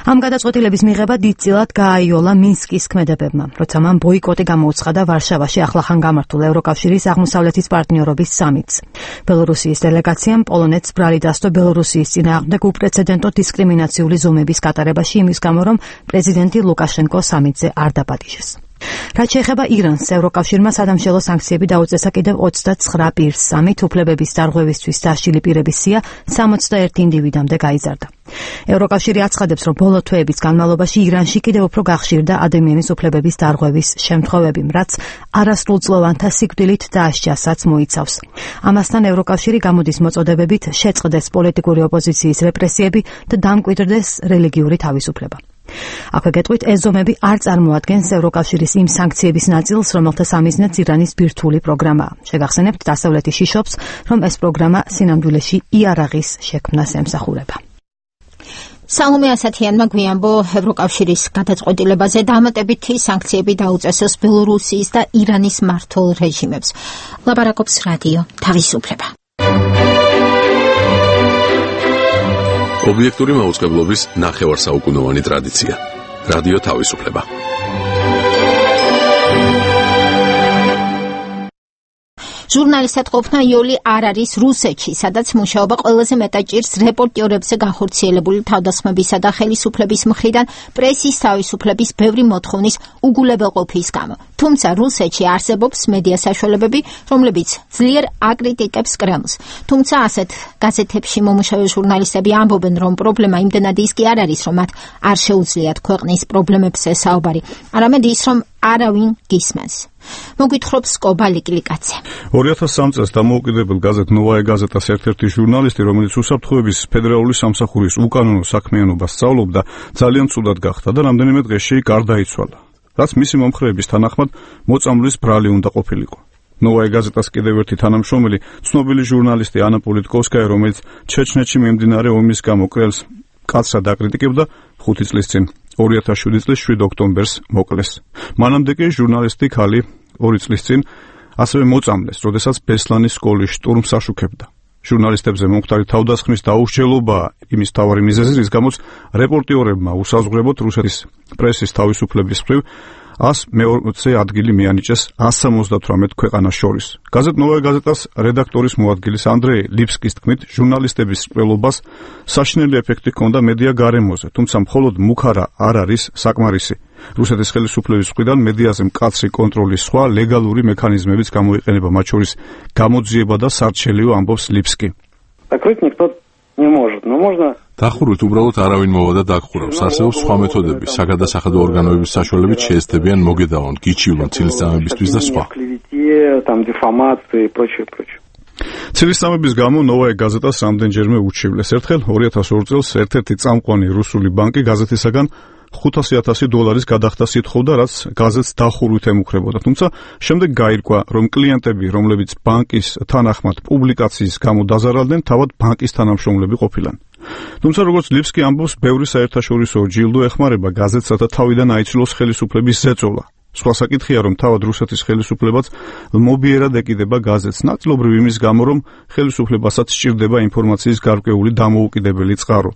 ამ გადაწყვეტილების მიღება დიდწილად გააიოლა მინსკის ქმედებებმა, როცა მან ბოიკოტი გამოუცხადა ვარშავაში ახლახან გამართულ ევროკავშირის აღმოსავლეთის პარტნიორობის სამიტს. ბელორუსიის დელეგაციამ პოლონეთს ბრალი დასდო ბელორუსიის წინააღმდეგ უპრეცედენტო დისკრიმინაციული ზომების გატარებაში იმის გამო, რომ პრეზიდენტი ლუკაშენკო სამიტზე არ დაპატიჟეს. რაც შეეხება ირანს, ევროკავშირმა სადამშელო სანქციები დაუწესა კიდევ ოცდაცხრა პირს, სამით უფლებების დარღვევისთვის დასჯილი პირების სია სამოცდაერთი ინდივიდამდე გაიზარდა. ევროკავშირი აცხადებს, რომ ბოლო თვეების განმავლობაში ირანში კიდევ უფრო გახშირდა ადამიანის უფლებების დარღვევის შემთხვევები, რაც არასრულწლოვანთა სიკვდილით დასჯასაც მოიცავს. ამასთან ევროკავშირი გამოდის მოწოდებებით შეწყდეს პოლიტიკური ოპოზიციის რეპრესიები და დამკვიდრდეს რელიგიური თავისუფლება. აქვე გეტყვით, ეს ზომები არ წარმოადგენს ევროკავშირის იმ სანქციების ნაწილს, რომელთა სამიზნეც ირანის ბირთვული პროგრამაა. შეგახსენებთ, დასავლეთი შიშობს, რომ ეს პროგრამა სინამდვილეში იარაღის შექმნას ემსახურება. სალომე ასათიანმა გვიანბო ევროკავშირის გადაწყვეტილებაზე დამატებითი სანქციები დაუწესოს ბელორუსიის და ირანის მმართველ რეჟიმებს. ლაპარაკობს რადიო თავისუფლება. ობიექტური მაუწყებლობის ნახევარსაუკუნოვანი ტრადიცია. რადიო თავისუფლება. ჟურნალისტად ყოფნა იოლი არ არის რუსეთში, სადაც მუშაობა ყველაზე მეტად ჭირს რეპორტიორებზე განხორციელებული თავდასხმებისა და ხელისუფლების მხრიდან პრესის თავისუფლების ბევრი მოთხოვნის უგულებელყოფის გამო. თუმცა რუსეთში არსებობს მედია საშუალებები, რომლებიც ძლიერ აკრიტიკებს კრემლს. თუმცა ასეთ გაზეთებში მომუშავე ჟურნალისტები ამბობენ, რომ პრობლემა იმდენად ის კი არ არის, რომ მათ არ შეუძლიათ ქვეყნის პრობლემებზე საუბარი, არამედ ის, რომ არავინ გისმენს. მოგვითხრობს კობა ლიკლიკაცე. ორი ათას სამი წელს დამოუკიდებელ გაზეთ ნოვაია გაზეტას ერთ-ერთი ჟურნალისტი, რომელიც უსაფრთხოების ფედერალური სამსახურის უკანონო საქმიანობას სწავლობდა, ძალიან ცუდად გახდა და რამდენიმე დღეში გარდაიცვალა. რაც მისი მომხრეების თანახმად მოწამვლის ბრალი უნდა ყოფილიყო. ნოვაია გაზეტას კიდევ ერთი თანამშრომელი, ცნობილი ჟურნალისტი ანა პოლიტკოვსკაია, რომელიც ჩეჩნეთში მიმდინარე ომის გამო კრელს კაცრად აკრიტიკებდა, ხუთი წლის წინ ორი ათას შვიდი წლის შვიდ ოქტომბერს მოკლეს. მანამდე კი ჟურნალისტი ქალი ორი წლის წინ ასევე მოწამლეს, როდესაც ბესლანის სკოლის შტურმს აშუქებდა. ჟურნალისტებზე მომხდარი თავდასხმის დაუსჯელობაა იმის მთავარი მიზეზი, რის გამოც რეპორტიორებმა უსაზღვრებოდ რუსეთის პრესის თავისუფლების მხრივ ას მეოცე ადგილი მიანიჭეს ას სამოცდათვრამეტ ქვეყანას შორის. გაზეთ ნოვაია გაზეტას რედაქტორის მოადგილის ანდრეი ლიფსკის თქმით, ჟურნალისტების სკვლელობას საშინელი ეფექტი ჰქონდა მედია გარემოზე, თუმცა მხოლოდ მუქარა არ არის საკმარისი. რუსეთის ხელისუფლების მხრიდან მედიაზე მკაცრი კონტროლის სხვა ლეგალური მექანიზმებიც გამოიყენება, მათ შორის გამოძიება და სარჩელიო, ამბობს ლიფსკი. не может, но можно დახურვით უბრალოდ არავინ მოვა და დაგხურავს. არსებობს სხვა მეთოდები, საგადასახადო ორგანოების საშუალებით შეესწებიან მოგედავონ, გიჩივლონ ცილისწამებისთვის და სხვა. ცილისწამების გამო ნოვაია გაზეტას რამდენჯერმე უჩივლეს. ერთხელ ორი ათას ორი წელს ერთ-ერთი წამყვანი რუსული ბანკი გაზეთისაგან ხუთასი ათასი დოლარის გადახდას ითხოვდა, რაც გაზეთს დახურვით ემუქრებოდა. თუმცა შემდეგ გაირკვა, რომ კლიენტები, რომლებიც ბანკის თანახმად პუბლიკაციის გამო დაზარალდნენ, თავად ბანკის თანამშრომლები ყოფილან. თუმცა როგორც ლიფსკი ამბობს, ბევრი საერთაშორისო ჯილდო ეხმარება გაზეთს, რათა თავიდან აიცილოს ხელისუფლების ზეწოლა. სხვა საკითხია, რომ თავად რუსეთის ხელისუფლებაც მობიერად ეკიდება გაზეთს, ნაწილობრივ იმის გამო, რომ ხელისუფლებასაც სჭირდება ინფორმაციის გარკვეული დამოუკიდებელი წყარო.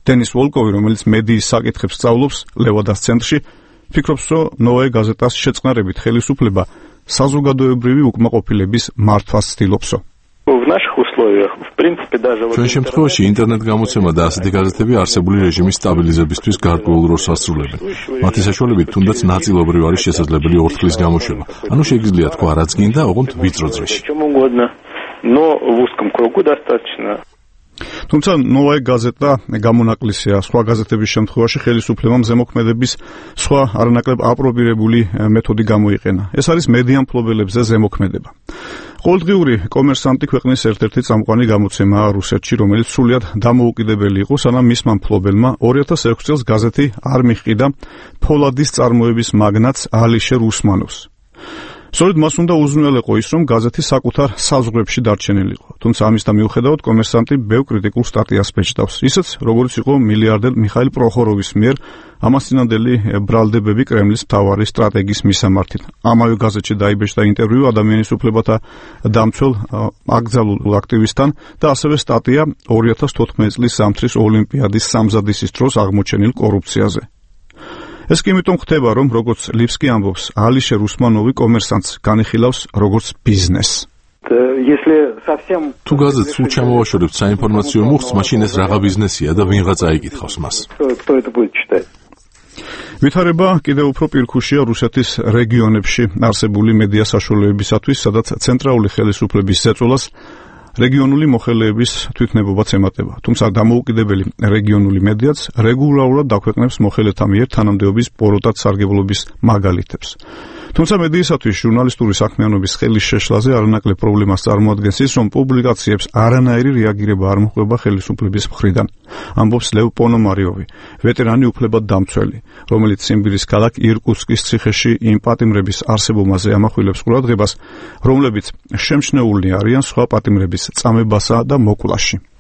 დენის ვოლკოვი, რომელიც მედიის საკითხებს სწავლობს ლევადას ცენტრში, ფიქრობს, რომ ნოვაია გაზეტას შეწყნარებით ხელისუფლება საზოგადოებრივი უკმაყოფილების მართვას ცდილობსო. ჩვენ შემთხვევაში ინტერნეტ გამოცემა და ასეთი გაზეთები არსებული რეჟიმის სტაბილიზებისთვის გარკვეულ როლს ასრულებენ. მათი საშუალებით თუნდაც ნაწილობრივ არის შესაძლებელი ორთქლის გამოშვება. ანუ შეგიძლია თქვა რაც გინდა, ოღონდ ვიწრო ძრეში. თუმცა ნოვაია გაზეტა გამონაკლისია სხვა გაზეთების შემთხვევაში ხელისუფლებამ ზემოქმედების სხვა არანაკლებ აპრობირებული მეთოდი გამოიყენა. ეს არის მედია მფლობელებზე ზემოქმედება. ყოველდღიური კომერსანტი ქვეყნის ერთ-ერთი წამყვანი გამოცემაა რუსეთში, რომელიც სრულიად დამოუკიდებელი იყო, სანამ მისმა მფლობელმა ორი ათას ექვსი წელს გაზეთი არ მიჰყიდა ფოლადის წარმოების მაგნატს ალიშერ უსმანოვს. სწორედ მას უნდა უზრუნველყო ის, რომ გაზეთი საკუთარ საზღვრებში დარჩენილიყო. თუმცა ამისთან მიუხედავად კომერსანტი ბევრ კრიტიკულ სტატიას ბეჭდავს, ისიც როგორც იყო მილიარდერ მიხაილ პროხოროვის მიერ ამასწინებელი ბრალდებები კრემლის მთავარი სტრატეგიის მისამართით. ამავე გაზეთში დაიბეჭდა ინტერვიუ ადამიანის უფლებათა დამცველ აკრძალულ აქტივისტთან და ასევე სტატია ორი ათას თოთხმეტი წლის ზამთრის ოლიმპიადის სამზადისის დროს აღმოჩენილ კორუფციაზე. ეს კი იმიტომ ხდება, რომ როგორც ლიფსკი ამბობს, ალიშერ უსმანოვი კომერსანტს განიხილავს როგორც ბიზნესს. თუ გაზეთს სულ ჩამოვაშორებთ საინფორმაციო მუხტს, მაშინ ეს რაღა ბიზნესია და ვინღაც აიკითხავს მას. ვითარება კიდევ უფრო პირქუშია რუსეთის რეგიონებში არსებული მედია საშუალებებისათვის, სადაც ცენტრალური ხელისუფლების ზეწოლას რეგიონული მოხელეების თვითნებობაც ემატება. თუმცა დამოუკიდებელი რეგიონული მედიაც რეგულარულად დაქვეყნებს მოხელეთა მიერ თანამდებობის პოროტად სარგებლობის მაგალითებს. თუმცა მედიისათვის ჟურნალისტური საქმიანობის ხელის შეშლაზე არანაკლებ პრობლემას წარმოადგენს ის, რომ პუბლიკაციებს არანაირი რეაგირება არ მოხდება ხელისუფლების მხრიდან. ამბობს ლევ პონომარიოვი, ვეტერანი უფლებად დამცველი, რომელიც სიმბირის ქალაქ ირკუტსკის ციხეში იმ პატიმრების არსებობაზე ამახვილებს ყურადღებას, რომლებიც შემჩნეულნი არიან სხვა პატიმრების წამებასა და მოკლაში.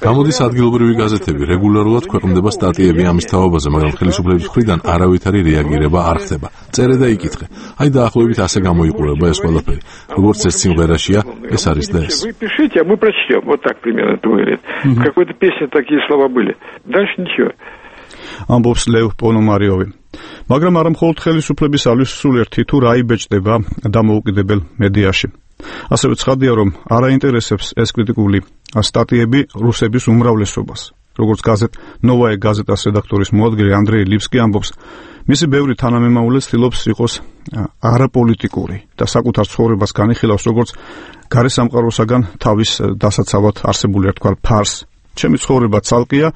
გამოდის ადგილობრივი გაზეთები, რეგულარულად ქვეყნდება სტატიები ამის თაობაზე, მაგრამ ხელისუფლების მხრიდან არავითარი რეაგირება არ ხდება. წერე და იკითხე. აი დაახლოებით ასე გამოიყურება ეს ყველაფერი. როგორც ეს სიმღერაშია, ეს არის და ეს. ამბობს ლევ პონომარიოვი. მაგრამ არა მხოლოდ ხელისუფლების ალვის სულ ერთი თუ რა იბეჭდება დამოუკიდებელ მედიაში. ასევე ცხადია, რომ არ აინტერესებს ეს კრიტიკული სტატიები რუსების უმრავლესობას. როგორც გაზეთ ნოვაე გაზეტას რედაქტორის მოადგილე ანდრეი ლიფსკი ამბობს, მისი ბევრი თანამემამულე ცდილობს იყოს არაპოლიტიკური და საკუთარ ცხოვრებას განიხილავს როგორც გარესამყაროსაგან თავის დასაცავად არსებული რა თქვა ფარს. ჩემი ცხოვრება ცალკეა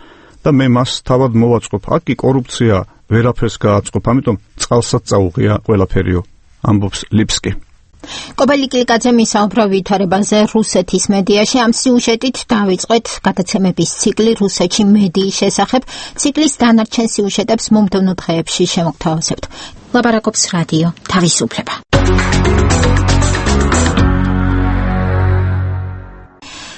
და მე მას თავად მოვაწყობ. აქ კი კორუფცია ვერაფერს გააწყობ, ამიტომ წყალსაც წაუღია ყველაფერიო, ამბობს ლიფსკი. კობელი კილკაძე მისაუბრა ვითარებაზე რუსეთის მედიაში. ამ სიუჟეტით დავიწყეთ გადაცემების ციკლი რუსეთში მედიის შესახებ. ციკლის დანარჩენ სიუჟეტებს მომდევნო დღეებში შემოგთავაზებთ. ლაპარაკობს რადიო თავისუფლება.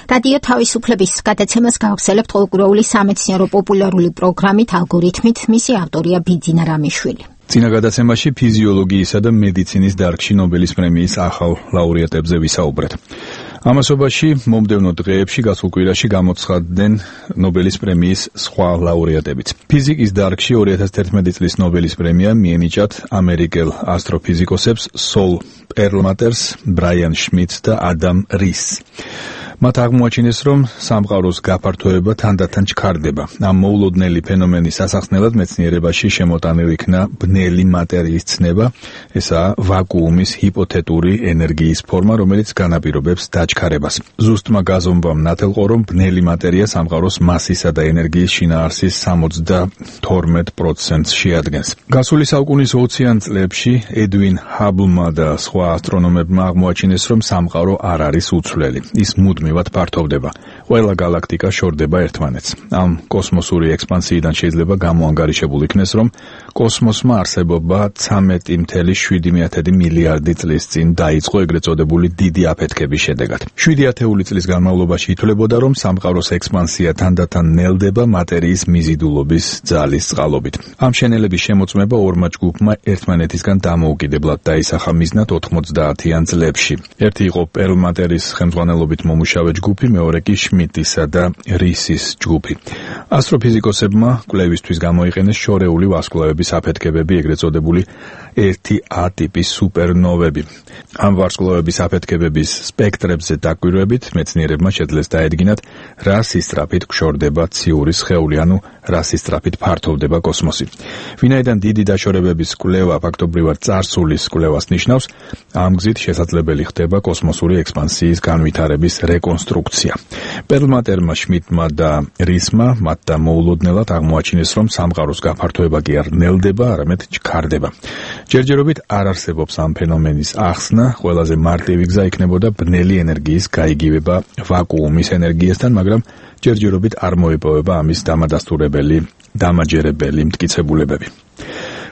რადიო თავისუფლების გადაცემას გავხსენებთ ყოველკვირეული სამეცნიერო პოპულარული პროგრამით ალგორითმით. მისი ავტორია ბიძინა რამიშვილი. წინა გადაცემაში ფიზიოლოგიისა და მედიცინის დარგში ნობელის პრემიის ახალ ლაურეატებზე ვისაუბრეთ. ამასობაში მომდევნო დღეებში გასულ კვირაში გამოცხადდნენ ნობელის პრემიის სხვა ლაურეატებიც. ფიზიკის დარგში ორი ათას თერთმეტი წლის ნობელის პრემია მიენიჭათ ამერიკელ ასტროფიზიკოსებს სოლ პერლმატერს, ბრაიან შმიდტს და ადამ რისს. მათ აღმოაჩინეს, რომ სამყაროს გაფართოება თანდათან ჩქარდება. ამ მოულოდნელი ფენომენის ასახსნელად მეცნიერებაში შემოტანილ იქნა ბნელი მატერიის ცნება, ესაა ვაკუუმის ჰიპოთეტური ენერგიის ფორმა, რომელიც განაპირობებს დაჩქარებას. ზუსტმა გაზომვამ ნათელყო, რომ ბნელი მატერია სამყაროს მასისა და ენერგიის შინაარსის სამოცდათორმეტ პროცენტს შეადგენს. გასული საუკუნის ოციან წლებში ედვინ ჰაბლმა და სხვა ასტრონომებმა აღმოაჩინეს, რომ სამყარო არ არის უცვლელი. ის მუდმივად ფართოვდება. ყველა galaktika შორდება ერთმანეთს. ამ კოსმოსური ექსპანსიიდან შეიძლება გამოანგარიშებულ იქნეს, რომ კოსმოსმა არსებობა ცამეტი ათეული შვიდი მილიარდი წლის წინ დაიწყო ეგრეთ წოდებული დიდი აფეთქების შედეგად. შვიდი ათეული წლის განმავლობაში ითვლებოდა, რომ სამყაროს ექსპანსია თანდათან ნელდება მატერიის მიზიდულობის ძალის წყალობით. ამ შენელების შემოწმება ორმა ჯგუფმა ერთმანეთისგან დამოუკიდებლად დაისახა მიზნად ოთხმოცდაათიან წლებში. ერთი იყო პერლმატერის ხელმძღვანელობით მომუშავე ჯგუფი, მეორე კი შმიდტისა და რისის ჯგუფი. ასტროფიზიკოსებმა კვლევისთვის გამოიყენეს შორეული ვარსკვლავების აფეთქებები, ეგრეთ წოდებული ერთი A ტიპის სუპერნოვები. ამ ვარსკვლავების აფეთქებების სპექტრებზე დაკვირვებით მეცნიერებმა შეძლეს დაედგინათ, რა სისწრაფით გშორდება ციური სხეული, ანუ რა სისწრაფით ფართოვდება კოსმოსი. ვინაიდან დიდი დაშორებების კვლევა ფაქტობრივად წარსულის კვლევას ნიშნავს, ამ გზით შესაძლებელი ხდება კოსმოსური ექსპანსიის განვითარების რეკონსტრუქცია. პერლმატერმა, შმიდტმა და რისმა მათთან მოულოდნელად აღმოაჩინეს, რომ სამყაროს გაფართოება კი არ ნელდება, არამედ ჩქარდება. ჯერჯერობით არ არსებობს ამ ფენომენის ახსნა, ყველაზე მარტივი გზა იქნებოდა ბნელი ენერგიის გაიგივება ვაკუუმის ენერგიასთან, მაგრამ ჯერჯერობით არ მოიპოვება ამის დამადასტურებელი, დამაჯერებელი მტკიცებულებები.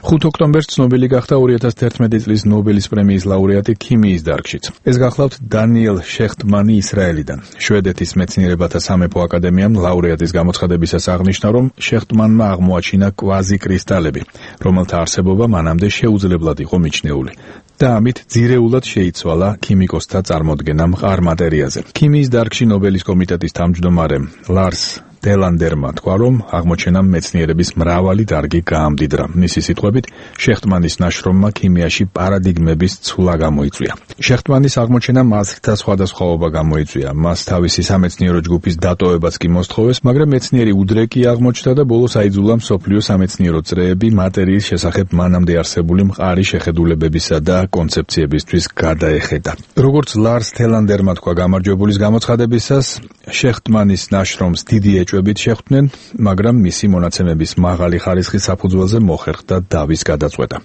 ხუთი ოქტომბერს ცნობილი გახდა ორი ათას თერთმეტი წლის ნობელის პრემიის ლაურეატი ქიმიის დარგშიც. ეს გახლავთ დანიელ შეხტმანი ისრაელიდან. შვედეთის მეცნიერებათა სამეფო აკადემიამ ლაურეატის გამოცხადებისას აღნიშნა, რომ შეხტმანმა აღმოაჩინა კვაზიკრისტალები, რომელთა არსებობა მანამდე შეუძლებლად იყო მიჩნეული. და ამით ძირეულად შეიცვალა ქიმიკოსთა წარმოდგენა მყარ მატერიაზე. ქიმიის დარგში ნობელის კომიტეტის თავმჯდომარე ლარს დელანდერმა თქვა, რომ აღმოჩენამ მეცნიერების მრავალი დარგი გაამდიდრა. მისი სიტყვებით, შეხტმანის ნაშრომმა ქიმიაში პარადიგმების ცვლა გამოიწვია. შეხტმანის აღმოჩენამ აზრთა სხვადასხვაობა გამოიწვია. მას თავისი სამეცნიერო ჯგუფის დატოვებაც კი მოსთხოვეს, მაგრამ მეცნიერი უდრეკი აღმოჩნდა და ბოლოს აიძულა მსოფლიო სამეცნიერო წრეები მატერიის შესახებ მანამდე არსებული მყარი შეხედულებებისა და კონცეფციებისთვის გადაეხედა. როგორც ლარს დელანდერმა თქვა გამარჯვებულის გამოცხადებისას, შეხტმანის ნაშრომს დიდი ეჭვებით შეხვდნენ, მაგრამ მისი მონაცემების მაღალი ხარისხის საფუძველზე მოხერხდა დავის გადაწყვეტა.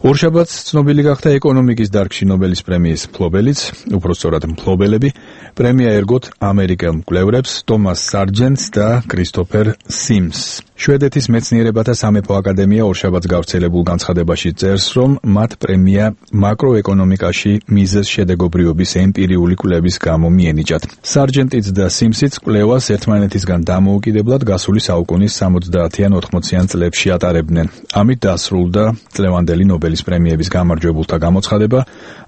ორშაბათს ცნობილი გახდა ეკონომიკის დარგში ნობელის პრემიის მფლობელიც, უпростоრად მფლობელები. პრემია ერგოთ ამერიკელ მკვლევრებს ტომას სარჯენტს და კრისტოფერ სიმსს. შვედეთის მეცნიერებათა სამეფო აკადემია ორშაბათს გავრცელებულ განცხადებაში წერს, რომ მათ პრემია მაკროეკონომიკაში მიზეზ შედეგობრიობის ემპირიული კვლევის გამო მიენიჭათ. სარჯენტიც და სიმსიც კვლევას ერთმანეთისგან დამოუკიდებლად გასული საუკუნის სამოცდაათიან ოთხმოციან წლებში ატარებდნენ. ამით დასრულდა წლევანდელი ნობელის პრემიების გამარჯვებულთა გამოცხადება.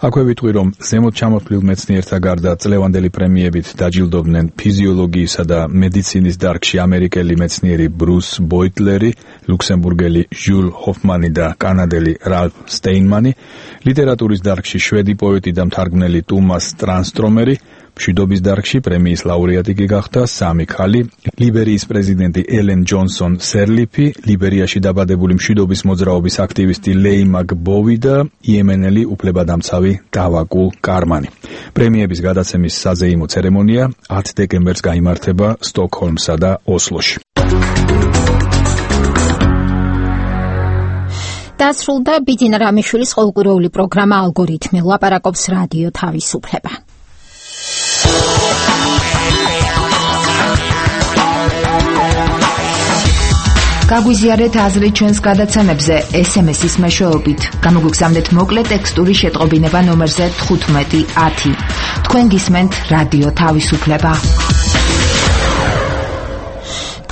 აქვე ვიტყვი, რომ ზემოთ ჩამოთვლილ მეცნიერთა გარდა წლევანდელი პრემიებით დაჯილდოვდნენ ფიზიოლოგიისა და მედიცინის დარგში ამერიკელი მეცნიერი ბრუს ბოიტლერი, ლუქსემბურგელი ჟულ ჰოფმანი და კანადელი რალფ სტეინმანი, ლიტერატურის დარგში შვედი პოეტი და მთარგმნელი ტუმას ტრანსტრომერი, მშვიდობის დარგში პრემიის ლაურეატი კი გახდა სამი ქალი: ლიბერიის პრეზიდენტი ელენ ჯონსონ სერლიფი, ლიბერიაში დაბადებული მშვიდობის მოძრაობის აქტივისტი ლეი მაკბოვი და იემენელი უფლებადამცავი დავაკულ კარმანი. პრემიების გადაცემის საზეიმო ცერემონია ათი დეკემბერს გაიმართება სტოკჰოლმსა და ოსლოში. დასრულდა ბიძინა რამიშვილის ყოველკვირეული პროგრამა ალგორითმი. ლაპარაკობს რადიო თავისუფლება. გაგვიზიარეთ აზრი ჩვენს გადაცემებზე ეს ემ ეს-ის მეშვეობით. გამოგვიგზავნეთ მოკლე ტექსტური შეტყობინება ნომერზე თხუთმეტი ათი. თქვენ გისმენთ რადიო თავისუფლება.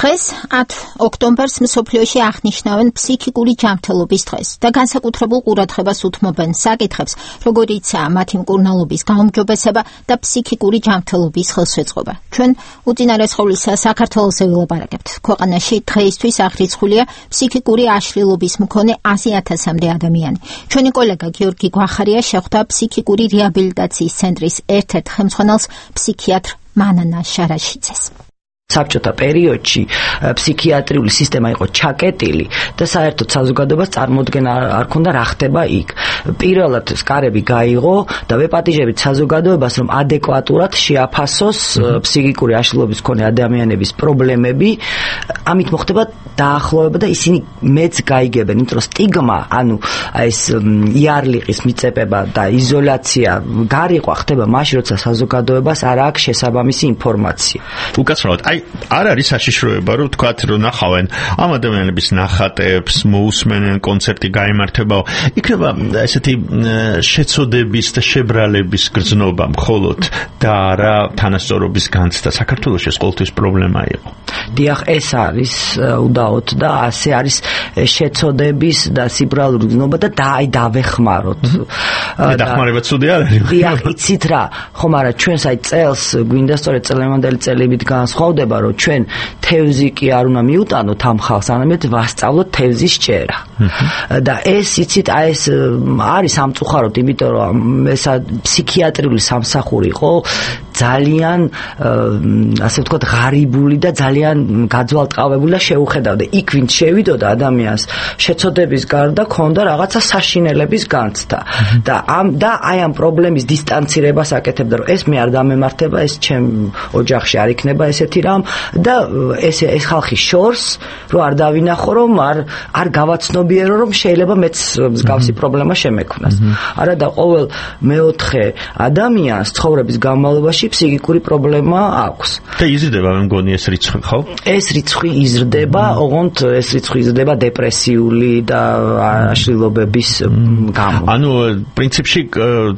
დღეს ათი ოქტომბერს მსოფლიოში აღნიშნავენ ფსიქიკური ჯანმრთელობის დღეს და განსაკუთრებულ ყურადღებას უთმობენ საკითხებს, როგორიცაა მათი მკურნალობის გაუმჯობესება და ფსიქიკური ჯანმრთელობის ხელშეწყობა. ჩვენ უწინარესხოვლისა საქართველოსზე ვილაპარაკებთ. ქვეყანაში დღეისთვის აღრიცხულია ფსიქიკური აშლილობის მქონე ასი ათასამდე ადამიანი. ჩვენი კოლეგა გიორგი გვახარია შეხვდა ფსიქიკური რეაბილიტაციის ცენტრის ერთ-ერთ ხელმძღვანელს, ფსიქიატრ მანანა შარაშიძეს. საბჭოთა პერიოდში ფსიქიატრიული სისტემა იყო ჩაკეტილი და საერთოდ საზოგადოებას წარმოუდგენა არ ქონდა რა ხდება იქ. პირველად სკარები გაიღო და ვეპატიჟებით საზოგადოებას, რომ ადეკვატურად შეაფასოს ფსიქიკური აშლილობის მქონე ადამიანების პრობლემები. ამით მოხდება დაახლოება და ისინი მეც გაიგებენ, იმიტომ რომ სტიგმა, ანუ ეს იარლიყის მიწებება და იზოლაცია გარიყვა ხდება მაშინ, როცა საზოგადოებას არ აქვს შესაბამისი ინფორმაცია. უკაცრავად, აი არ არის საშიშროება, რომ თქვათ, რომ ნახავენ ამ ადამიანების ნახატებს, მოусმენენ, კონცერტი გაიმართებაო. იქნება ესეთი შეცოდების და შებრალების გრძნობა მხოლოდ და რა თანასწორობის განცდა. საქართველოში ეს ყოველთვის პრობლემა იყო. დიახ, ეს არის უდაოდ და ასე არის შეცოდების და სიბრალური გრძნობა და დაი დავეხმაროთ. დახმარება ცუდი არ არის. დიახ, იცით რა, ხომ არა, ჩვენს აი წელს გვინდა სწორედ წლევანდელი წელებით განსხვავდება, რომ ჩვენ თევზი კი არ უნდა მიუტანოთ ამ ხალხს, არამედ ვასწავლოთ თევზის ჭერა. და ეს იცით, აი ეს არის სამწუხაროდ, იმიტომ რომ ეს ფსიქიატრიული სამსახური იყო ძალიან ასე ვთქვათ ღარიბული და ძალიან გაძვალტყავებული და შეუხედავდა. იქ ვინც შევიდოდა ადამიანს შეცოდების გარდა ქონდა რაღაცა საშინელების განცდა. და ამ და აი ამ პრობლემის დისტანცირებას აკეთებდა, რომ ეს მე არ დამემართება, ეს ჩემ ოჯახში არ იქნება ესეთი რამ და ეს ეს ხალხი შორს რომ არ დავინახო, რომ არ არ გავაცნობიერო, რომ შეიძლება მეც მსგავსი პრობლემა შემექმნას. არა და ყოველ მეოთხე ადამიანს ცხოვრების განმავლობაში შემთხვევაში ფსიქიკური პრობლემა აქვს. და იზრდება მე მგონი ეს რიცხვი, ხო? ეს რიცხვი იზრდება, ოღონდ ეს რიცხვი იზრდება დეპრესიული და აშლილობების გამო. ანუ პრინციპში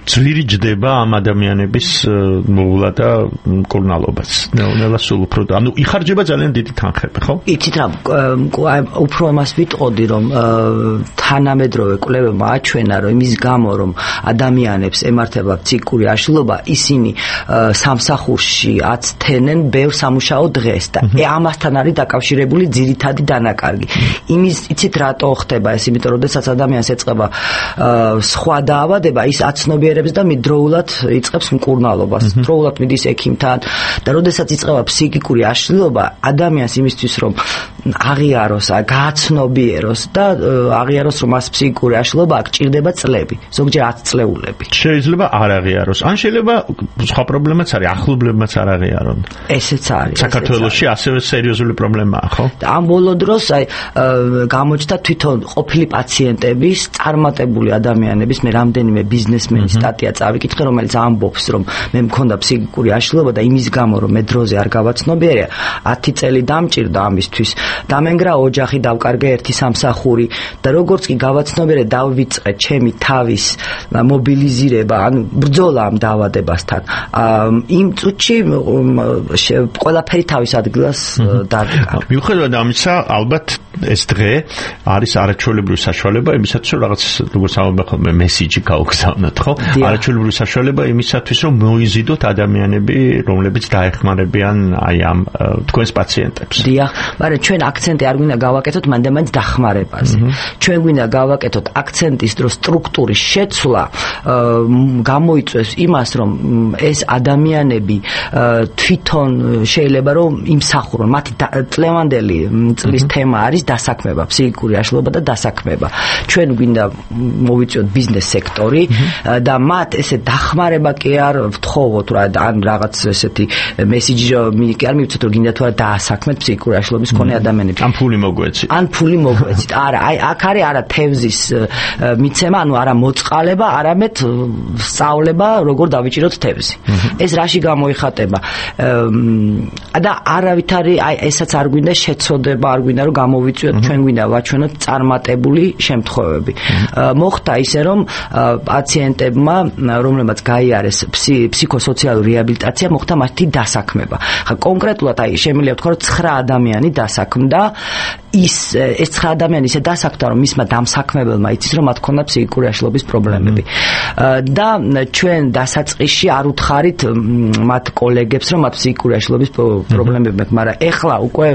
ძვირი ჯდება ამ ადამიანების მოვლა და მკურნალობას. ნელა სულ უფრო ანუ იხარჯება ძალიან დიდი თანხები, ხო? იცით რა, უფრო იმას ვიტყოდი, რომ თანამედროვე კვლევებმა აჩვენა, რომ იმის გამო, რომ ადამიანებს ემართება ფსიქიკური აშლილობა, ისინი სამსახურში აცთენენ ბევრ სამუშაო დღეს და ამასთან არის დაკავშირებული ძირითადი დანაკარგი. იმის იცით რატო ხდება ეს, იმიტომ რომ შესაძ ადამიანს ეწყება სხვა დაავადება, ის აცნობიერებს და მიდროულად იწყებს მკურნალობას. დროულად მიდის ექიმთან და როდესაც იწყება ფსიქიკური აშლილობა, ადამიანს იმისთვის რომ აღიაროს, გააცნობიეროს და აღიაროს რომ მას ფსიქიკური აშლილობა აქვს, ჭირდება წლები, ზოგჯერ ათი წლეულები. შეიძლება არ აღიაროს, ან შეიძლება სხვა პრობლემაც არის, ახლობლებმაც არ აღიარონ. ესეც არის. საქართველოში ასევე სერიოზული პრობლემაა, ხო? და ამ ბოლო დროს აი გამოჩნდა თვითონ ყოფილი პაციენტების, წარმატებული ადამიანების, მე რამდენიმე ბიზნესმენის სტატია წავიკითხე, რომელიც ამბობს, რომ მე მქონდა ფსიქიკური აშლილობა და იმის გამო, რომ მე დროზე არ გავაცნობიერე, ათი წელი დამჭირდა ამისთვის. დამენგრა ოჯახი, დავკარგე ერთი სამსახური და როგორც კი გავაცნობიერე, დავიწყე ჩემი თავის მობილიზირება, ანუ ბრძოლა ამ დაავადებასთან. იმ წუთში ყველაფერი თავის ადგილას დადგა. მიუხედავად ამისა, ალბათ ეს დღე არის არაჩვეულებრივი საშუალება იმისათვის, რომ რაღაც როგორც ამბობენ ხოლმე მესიჯი გაუგზავნოთ, ხო? არაჩვეულებრივი საშუალება იმისათვის, რომ მოიზიდოთ ადამიანები, რომლებიც დაეხმარებიან აი ამ თქვენს პაციენტებს. დიახ, მაგრამ ჩვენ აქცენტი არ გვინდა გავაკეთოთ მანდ-ამან დახმარებაზე. ჩვენ გვინდა გავაკეთოთ აქცენტის დრო სტრუქტურის შეცვლა, გამოიწვევს იმას, რომ ეს ადამიანები თვითონ შეიძლება რომ იმსახურონ. მათი წლევანდელი წლის თემა არის დასაქმება, ფსიქიკური აშლილობა და დასაქმება. ჩვენ გვინდა მოვიწვიოთ ბიზნეს სექტორი და მათ ესე დახმარება კი არ ვთხოვოთ რა, ან რაღაც ესეთი მესიჯი კი არ მივცეთ, რომ გინდა თუ არა დაასაქმეთ ფსიქიკური აშლილობის მქონე ადამიანებს. ან ფული მოგვეცით. ან ფული მოგვეცით. არა, აი აქ არის არა თევზის მიცემა, ანუ არა მოწყალება, არამედ სწავლება, როგორ დავიჭიროთ თევზი. ეს რაში გამოიხატება? და არავითარი აი ესაც არ გვინდა შეცოდება, არ გვინდა რომ გამოვიწვიოთ, ჩვენ გვინდა ვაჩვენოთ წარმატებული შემთხვევები. მოხდა ისე რომ პაციენტებმა, რომლებმაც გაიარეს ფსიქოსოციალური რეაბილიტაცია, მოხდა მათი დასაქმება. ხა კონკრეტულად აი შემიძლია ვთქვა, რომ ცხრა ადამიანი დასაქმდა. ის ეს ცხრა ადამიანი ისე დასაქმდა, რომ მისმა დამსაქმებელმა იცის, რომ მათ ქონდა ფსიქიკური აშლილობის პრობლემები. და ჩვენ დასაწყისში არ უთხარით მათ კოლეგებს, რომ მათ ფსიქიკური აშლილობის პრობლემები აქვს, მაგრამ ეხლა უკვე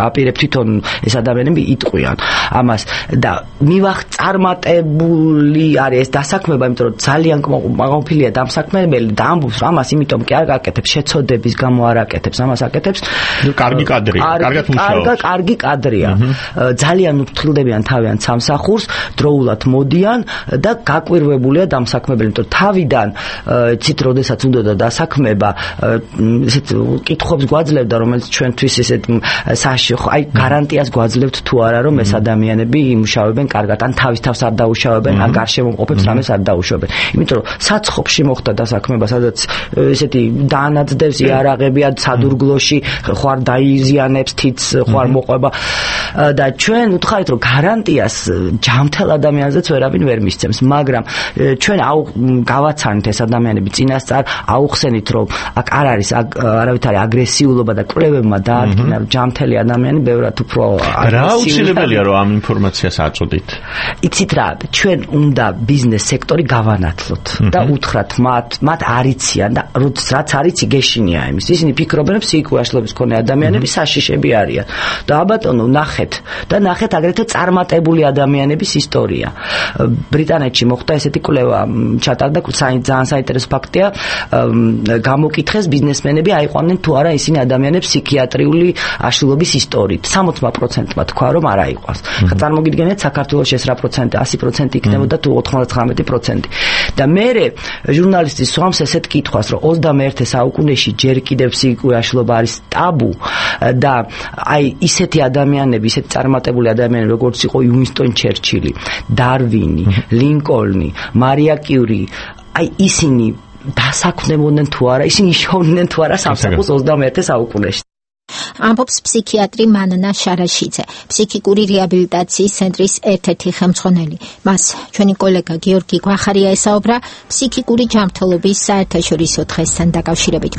აპირებ თვითონ ეს ადამიანები იტყვიან ამას და მივახ წარმატებული არის ეს დასაქმება, იმიტომ რომ ძალიან კმაყოფილია დამსაქმებელი და ამბობს, რომ ამას იმიტომ კი არ გაკეთებს, შეცოდების გამო არ აკეთებს, ამას აკეთებს. კარგი კადრია, კარგად მუშაობს. კარგი კადრია. ძალიან უფრთხილდებიან თავიანთ სამსახურს, დროულად მოდიან და გაკვირვებულია დამსაქმებელი, იმიტომ თავიდან ცით როდესაც უნდა დასაქმება, ესეთ კითხვებს გვაძლევდა, რომელიც ჩვენთვის ესეთ აი გარანტიას გვაძლევთ თუ არა, რომ ეს ადამიანები იმუშავებენ კარგად, ან თავის თავს არ დაუშავებენ, ან გარშემოყოფებს რამეს არ დაუშავებენ. იმიტომ რომ საცხობში მოხდა დასაქმება, სადაც ესეთი დაანაწდევს იარაღებია სადურგლოში, ხوار დაიზიანებს თიც, ხوار მოყვება და ჩვენ უთხარით, რომ გარანტიას ჯამთელ ადამიანზეც ვერავინ ვერ მისცემს, მაგრამ ჩვენ გავაცანით ეს ადამიანები წინასწარ, აუხსენით, რომ აქ არ არის არავითარი აგრესიულობა და კვლევებმა დაადგინა, რომ ჯამთელი ადამიანი ბევრად უფრო რა აუცილებელია, რომ ამ ინფორმაციას აწოდით? იცით რა, ჩვენ უნდა ბიზნეს სექტორი გავანათლოთ და უთხრათ მათ, მათ არიციან და რაც არიცი გეშინია იმის. ისინი ფიქრობენ, რომ ფსიქიკური აშლილობის მქონე ადამიანები საშიშები არიან. და აბატონო, ნახეთ და ნახეთ აგრეთვე წარმატებული ადამიანების ისტორია. ბრიტანეთში მოხდა ესეთი კვლევა, ჩატარდა ძალიან საინტერესო ფაქტია, გამოკითხეს ბიზნესმენები აიყვნენ თუ არა ისინი ადამიანებს ფსიქიატრიული აშლილობის ისტორიით. სამოცდა პროცენტმა თქვა, რომ არ აიყვანს. ხა წარმოგიდგენთ საქართველოში ეს რა პროცენტი, ასი პროცენტი იქნებოდა თუ ოთხმოცდათხრამეტი პროცენტი. და მე ჟურნალისტი სვამს ესეთ კითხვას, რომ ოცდამეერთე საუკუნეში ჯერ კიდევ ფსიქიკური აშლილობა არის ტაბუ და აი ისეთი ადამიანები, ისეთი წარმატებული ადამიანები, როგორც იყო უინსტონ ჩერჩილი, დარვინი, ლინკოლნი, მარია კიური, აი ისინი დასაქმდებოდნენ თუ არა, ისინი შოვნდნენ თუ არა სამსახურს ოცდამეერთე საუკუნეში. ამბობს ფსიქიატრი მანანა შარაშიძე, ფსიქიკური რეაბილიტაციის ცენტრის ერთ-ერთი ხელმძღვანელი. მას ჩვენი კოლეგა გიორგი გვახარია ესაუბრა ფსიქიკური ჯანმრთელობის საერთაშორისო დღესთან დაკავშირებით.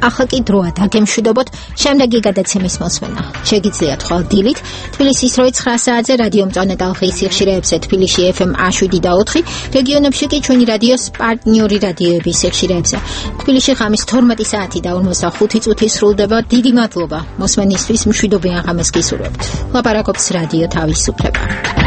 ახლა კი დროა დაგემშვიდობოთ შემდეგი გადაცემის მოსმენა. შეგიძლიათ ხვალ დილით თბილისის როი ცხრა საათზე რადიო მწვანე ტალღის სიხშირეებზე თბილისში ეფ ემ შვიდი და ოთხი, რეგიონებში კი ჩვენი რადიოს პარტნიორი რადიოების სიხშირეებზე. თბილისში ღამის თორმეტი საათი და ორმოცდახუთი წუთი სრულდება. დიდი მადლობა მოსმენისთვის, მშვიდობიან ღამეს გისურვებთ. ლაპარაკობს რადიო თავისუფლება.